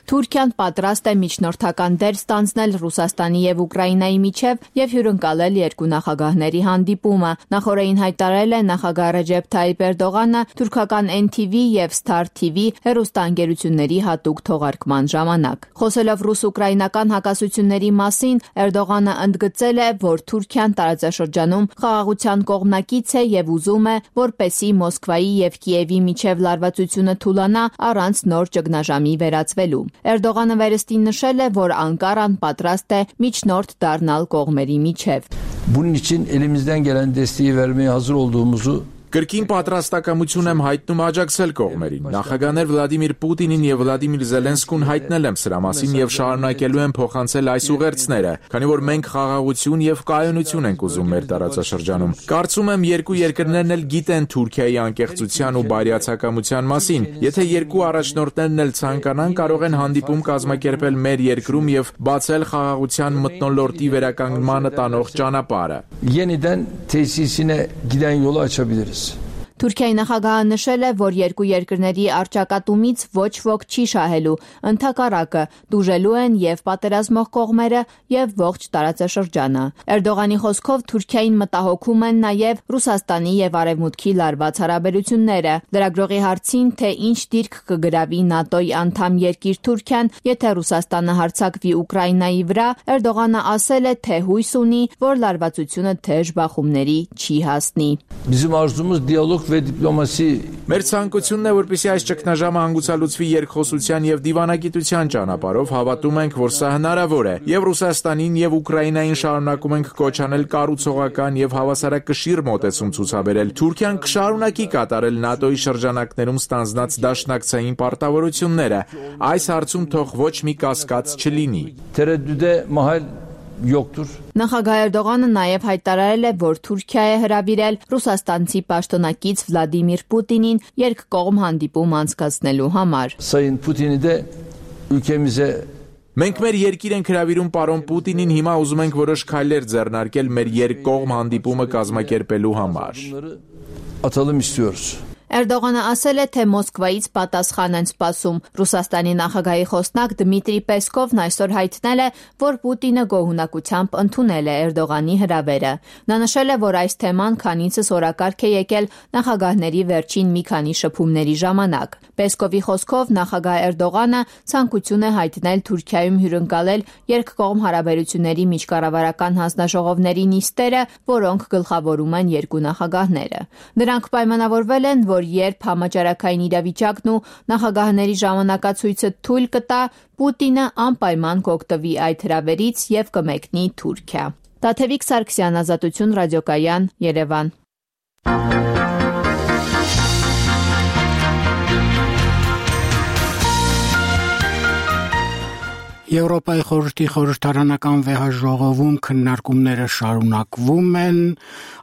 Թուրքիան պատրաստ է միջնորդական դեր ստանձնել Ռուսաստանի եւ Ուկրաինայի միջև եւ հյուրընկալել երկու նախագահների հանդիպումը։ Նախորդին հայտարարել է նախագահ Ռեջեփ Թայիպ Էրդողանը թուրքական NTV եւ Star TV հեռուստաընկերությունների հատուկ թողարկման ժամանակ։ Խոսելով ռուս-ուկրաինական հակասությունների մասին, Էրդողանը ընդգծել է, որ Թուրքիան տարածաշրջանում խաղաղության կողմնակից է եւ ուզում է, որպեսզի Մոսկվայի եւ Կիևի միջև լարվածությունը թուլանա առանց նոր ճգնաժամի վերածվելու։ Էրդողանը վերստին նշել է, որ Անկարան պատրաստ է միջնորդ դառնալ կողմերի միջև։ Bunun için elimizden gelen desteği vermeye hazır olduğumuzu Կրկին պատրաստակամություն եմ հայտնում աջակցել կողմերին։ Նախագահներ Վլադիմիր Պուտինին եւ Վլադիմիր Զելենսկուն հայտնել եմ սրա մասին եւ շարունակելու եմ փոխանցել այս ուղերձները, քանի որ մենք խաղաղություն եւ կայունություն ենք ուզում մեր տարածաշրջանում։ Կարծում եմ երկու երկրներն էլ գիտեն Թուրքիայի անկեղծության ու բարյացակամության մասին։ Եթե երկու առաջնորդներն էլ ցանկանան, կարող են հանդիպում կազմակերպել մեր երկրում եւ բացել խաղաղության մթնոլորտի վերականգնմանը տանող ճանապարհը։ Yeniden tesisine giden yolu açabiliriz. Թուրքիայի նախագահը նշել է, որ երկու երկրների առճակատումից ոչ ոք չի շահելու, ընդհակառակը դուժելու են եւ պատերազմող կողմերը եւ ողջ տարածաշրջանը։ Էրդողանի խոսքով Թուրքիային մտահոգում են նաեւ Ռուսաստանի եւ Արևմուտքի լարված հարաբերությունները։ Լրագրողի հարցին, թե ինչ դիրք կգրավի ՆԱՏՕ-ի անդամ երկիր Թուրքիան, եթե Ռուսաստանը հարձակվի Ուկրաինայի վրա, Էրդողանը ասել է, թե հույս ունի, որ լարվածությունը թեժ բախումների չի հասնի։ Մեր ցանկությունն է, որպեսզի այս ճգնաժամը հանգուցալուծվի երկխոսության եւ դիվանագիտության ճանապարհով, հավատում ենք, որ սա հնարավոր է, եւ Ռուսաստանին եւ Ուկրաինային շարունակում ենք կոչ անել կառուցողական եւ հավասարակշիռ մոտեցում ցուցաբերել։ Թուրքիան կշարունակի կատարել ՆԱՏՕ-ի շրջանակներում ստանձնած դաշնակցային պարտավորությունները։ Այս հարցում թող ոչ մի կասկած չլինի։ Նախագահ Էրդողանը նաև հայտարարել է, որ Թուրքիա է հրավիրել ռուսաստանցի պաշտոնակից Վլադիմիր Պուտինին երկկողմ հանդիպում անցկացնելու համար։ Մենք մեր երկիր ենք հրավիրում պարոն Պուտինին, հիմա ուզում ենք որոշ քայլեր ձեռնարկել մեր երկկողմ հանդիպումը կազմակերպելու համար։ Էրդողանը ասել է, թե Մոսկվայից պատասխան են սպասում։ Ռուսաստանի նախագահի խոսնակ Դմիտրի Պեսկովն այսօր հայտնել է, որ Պուտինը գոհունակությամբ ընդունել է Էրդողանի հրավերը։ Նա նշել է, որ այս թեման քանիցս օրակարգ է եկել նախագահների վերջին մի քանի շփումների ժամանակ։ Պեսկովի խոսքով նախագահ Էրդողանը ցանկություն է հայտնել Թուրքիայում հյուրընկալել երկկողմ հարաբերությունների միջկառավարական հանձնաժողովների նիստերը, որոնք գլխավորում են երկու նախագահները։ Նրանք պայմանավորվել են, որ երբ համաճարակային իրավիճակն ու նախագահների ժամանակացույցը թույլ կտա, Պուտինը անպայման կօգտվի այդ հրավերից եւ կմեկնի Թուրքիա։ Տաթևիկ Սարգսյան, Ազատություն ռադիոկայան, Երևան։ Եվրոպայի խորհրդի խորհրդարանական վեհաժողովում քննարկումները շարունակվում են։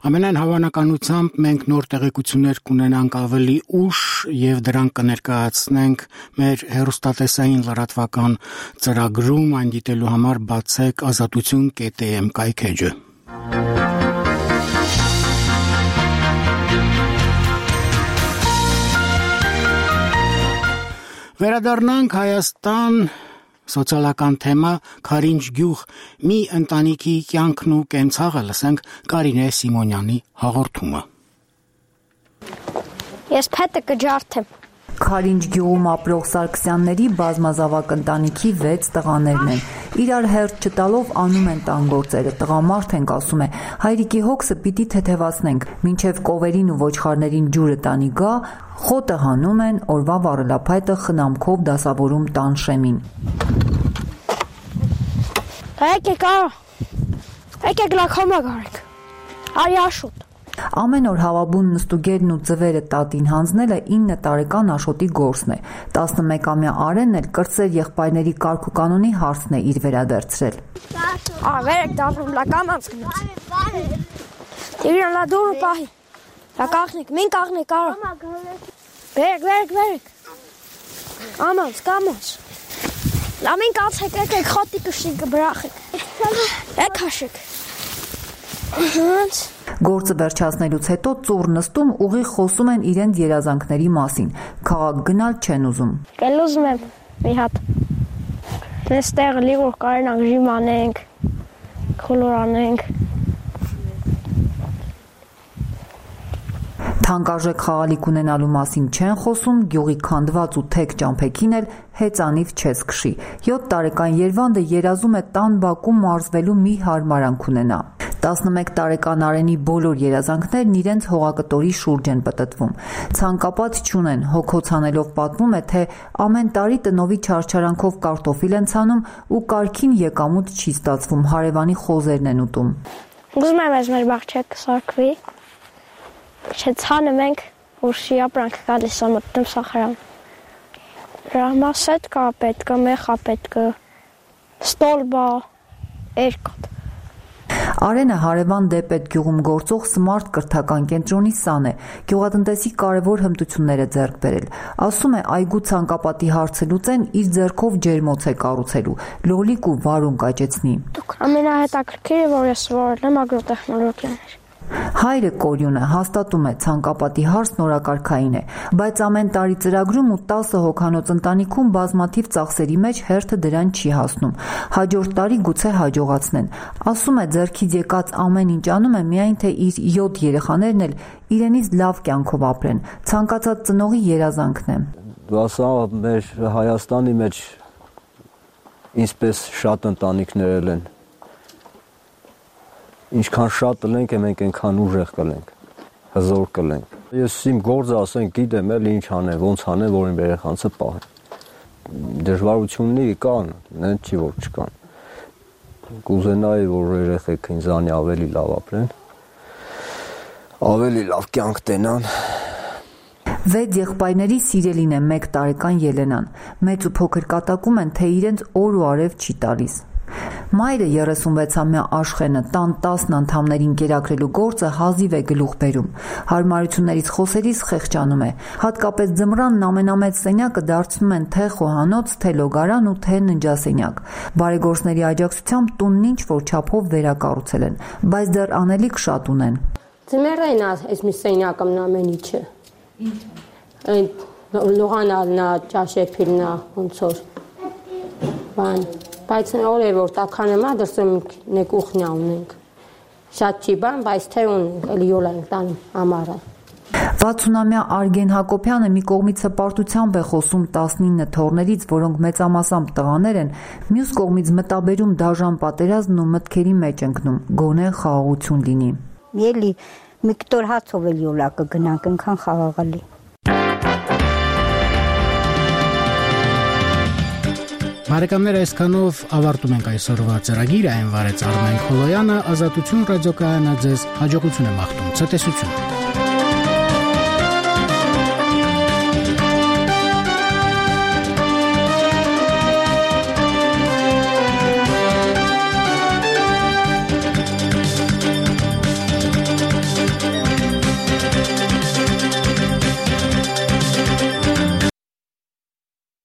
Ամենայն հավանականությամբ մենք նոր տեղեկություններ կունենանք ավելի ուշ եւ դրանք կներկայացնենք մեր հեռուստատեսային լրատվական ծրագրում, այն դիտելու համար բացեք azatutun.am կայքեջը։ Վերադառնանք Հայաստան։ Սոցիալական թեմա Քարինջ գյուղ մի ընտանիքի կյանքն ու կենցաղը լսենք Կարինե Սիմոնյանի հաղորդումը։ Ես փետը կջարդեմ։ Քարինջ գյուղում ապրող Սարգսյանների բազմազավակ ընտանիքի 6 տղաներն են։ Իրար հերթ չտալով անում են տան գործերը։ Տղամարդ ենք, ասում է, հայրիկի հոգսը պիտի թեթևացնենք, մինչև կովերին ու ոչխարներին ջուրը տանի գա, խոտը հանում են, օրվա վառելափայտը խնամքով դասավորում տան շեմին։ Եկեք լաքոմա գարեք, արի աշոտ։ Ամեն օր հավաբուն նստուգերն ու ձվերը տատին հանձնելը 9 տարեկան Աշոտի գործն է։ 11-ամյա Արենն էլ կրտսեր եղբայրների կարգ ու կանոնի հարցն է իր վերադարձրել։ Վերեք դառնում լականանց գնաց։ Իրան լա դուրը պահի։ Լա կաղնիկ, մին կաղնիկ արա։ Վերեք։ Կամաց։ Լա մին կացեք, եկեք խոտի կշիկ բրախեք։ Եկ հաշեք։ Գործը վերջացնելուց հետո ծուռ նստում ուղիղ խոսում են իրենց երազանքների մասին։ Քաղաք գնալ չեն ուզում։ Կել ուզում եմ մի հատ։ Այստեղ լիղոր կարենանք ժիմ անենք, քոլոր անենք։ Թանկարժեք խաղալիք ունենալու մասին չեն խոսում, գյուղի քանդված ու թեք ճամփեքին էլ հեծանիվ չես քշի։ 7 տարեկան Երվանդը երազում է տան բակում մարզվելու մի հարմարանք ունենա։ 11 տարեկան Արենի բոլոր երազանքներն իրենց հողակտորի շուրջ են պտտվում։ Ցանկապատ չունեն, հոգոցանելով պատմում է, թե ամեն տարի տնովի չարչարանքով կարտոֆիլ են ցանում ու կարգին եկամուտ չի ստացվում, հարևանի խոզերն են ուտում։ Ուզում եմ ես մեր բաղջակ սարքվի, չցանում ենք, որ շի ապրանք գալիս է մտնում սախարան։ Ռահմասետ կա պետք, մեխա պետք, ստոլբա, երկոտ։ Արենը հարևան դեպետ գյուղում գործող սմարթ կրթական կենտրոնի սան է, գյուղատնտեսի կարևոր հմտությունները ձեռք բերել։ Ասում է, այգու ցանկապատի հարցը լուծեն իր ձեռքով ջերմոց է կառուցելու, լոլիկ ու վարուն կաճեցնի։ Ամենահետաքրքիրը, որ ես սովորել եմ ագրոտեխնոլոգիաներ։ Հայրը Կորյունը հաստատում է ցանկապատի հարցն օրակարգային է, բայց ամեն տարի ծրագրում ու 10 հոգանոց ընտանիքում բազմաթիվ ծախսերի մեջ հերթը դրան չի հասնում։ Հաջորդ տարի գուցե հաջողացնեն։ Ասում է ձեռքից եկած ամեն ինչ անում է միայն թե իր 7 երեխաներն էլ իրենից լավ կյանքով ապրեն։ Ցանկացած ծնողի երազանքն է։ Ասա մեր Հայաստանի մեջ ինչպես շատ ընտանիքներ են։ Ինչքան շատ լենք է, մենք այնքան ուժեղ կլենք, հզոր կլենք։ Ես իմ գործը ասենք գիտեմ էլ ինչ անեմ, ոնց անեմ, որ իմ երեխանցը պահեմ։ Դժվարությունները կան, նեն չի որ չկան։ Կուզենայի, որ երեխեքը ինձանի ավելի լավ ապրեն, ավելի լավ կյանք տենան։ 6 եղբայրների սիրելին է 1 տարեկան Ելենան։ Մեծ ու փոքր կատակում են, թե իրենց օր ու արև չի տալիս։ Մայրը 36-ամյա Աշխենը տան 10 անդամներին կերակրելու գործը հազիվ է գլուխ բերում։ Հարմարություններից խոսելիս խեղճանում է։ Հատկապես ձմռանն ամենամեծ սենյակը դարձնում են թե խոհանոց, թե լոգարան ու թե ննջասենյակ։ Բարեգործների աջակցությամբ տունն ինչ որ չափով վերակառուցել են, բայց դեռ անելիք շատ ունեն։ Ձմեռն այս մի սենյակը ամեն ինչը։ Լողանալնա, ճաշեփիլնա, ոնց որ բան բայց օրը որ տականեմա դրսում նե կուխնյա ունենք շատ չի բան բայց թե ունենք էլի յոլ ենք տանում ամառը 60-ամյա Արգեն Հակոբյանը մի կողմից հպարտությամբ է խոսում 19 թոռներից, որոնք մեծամասամբ տղաներ են, մյուս կողմից մտաբերում դաժան պատերազմն ու մտքերի մեջ ընկնում, գոնե խաղաղություն լինի։ Էլի մի կտոր հացով էլ յոլա կգնանք, այնքան խաղաղալի։ Բարեկամներ, այսքանով ավարտում ենք այսօրվա ծրագիրը, այն վարեց Արմեն Խոլոյանը, Ազատություն ռադիոկայանը ձեզ հաջողություն է մաղթում, ցտեսություն։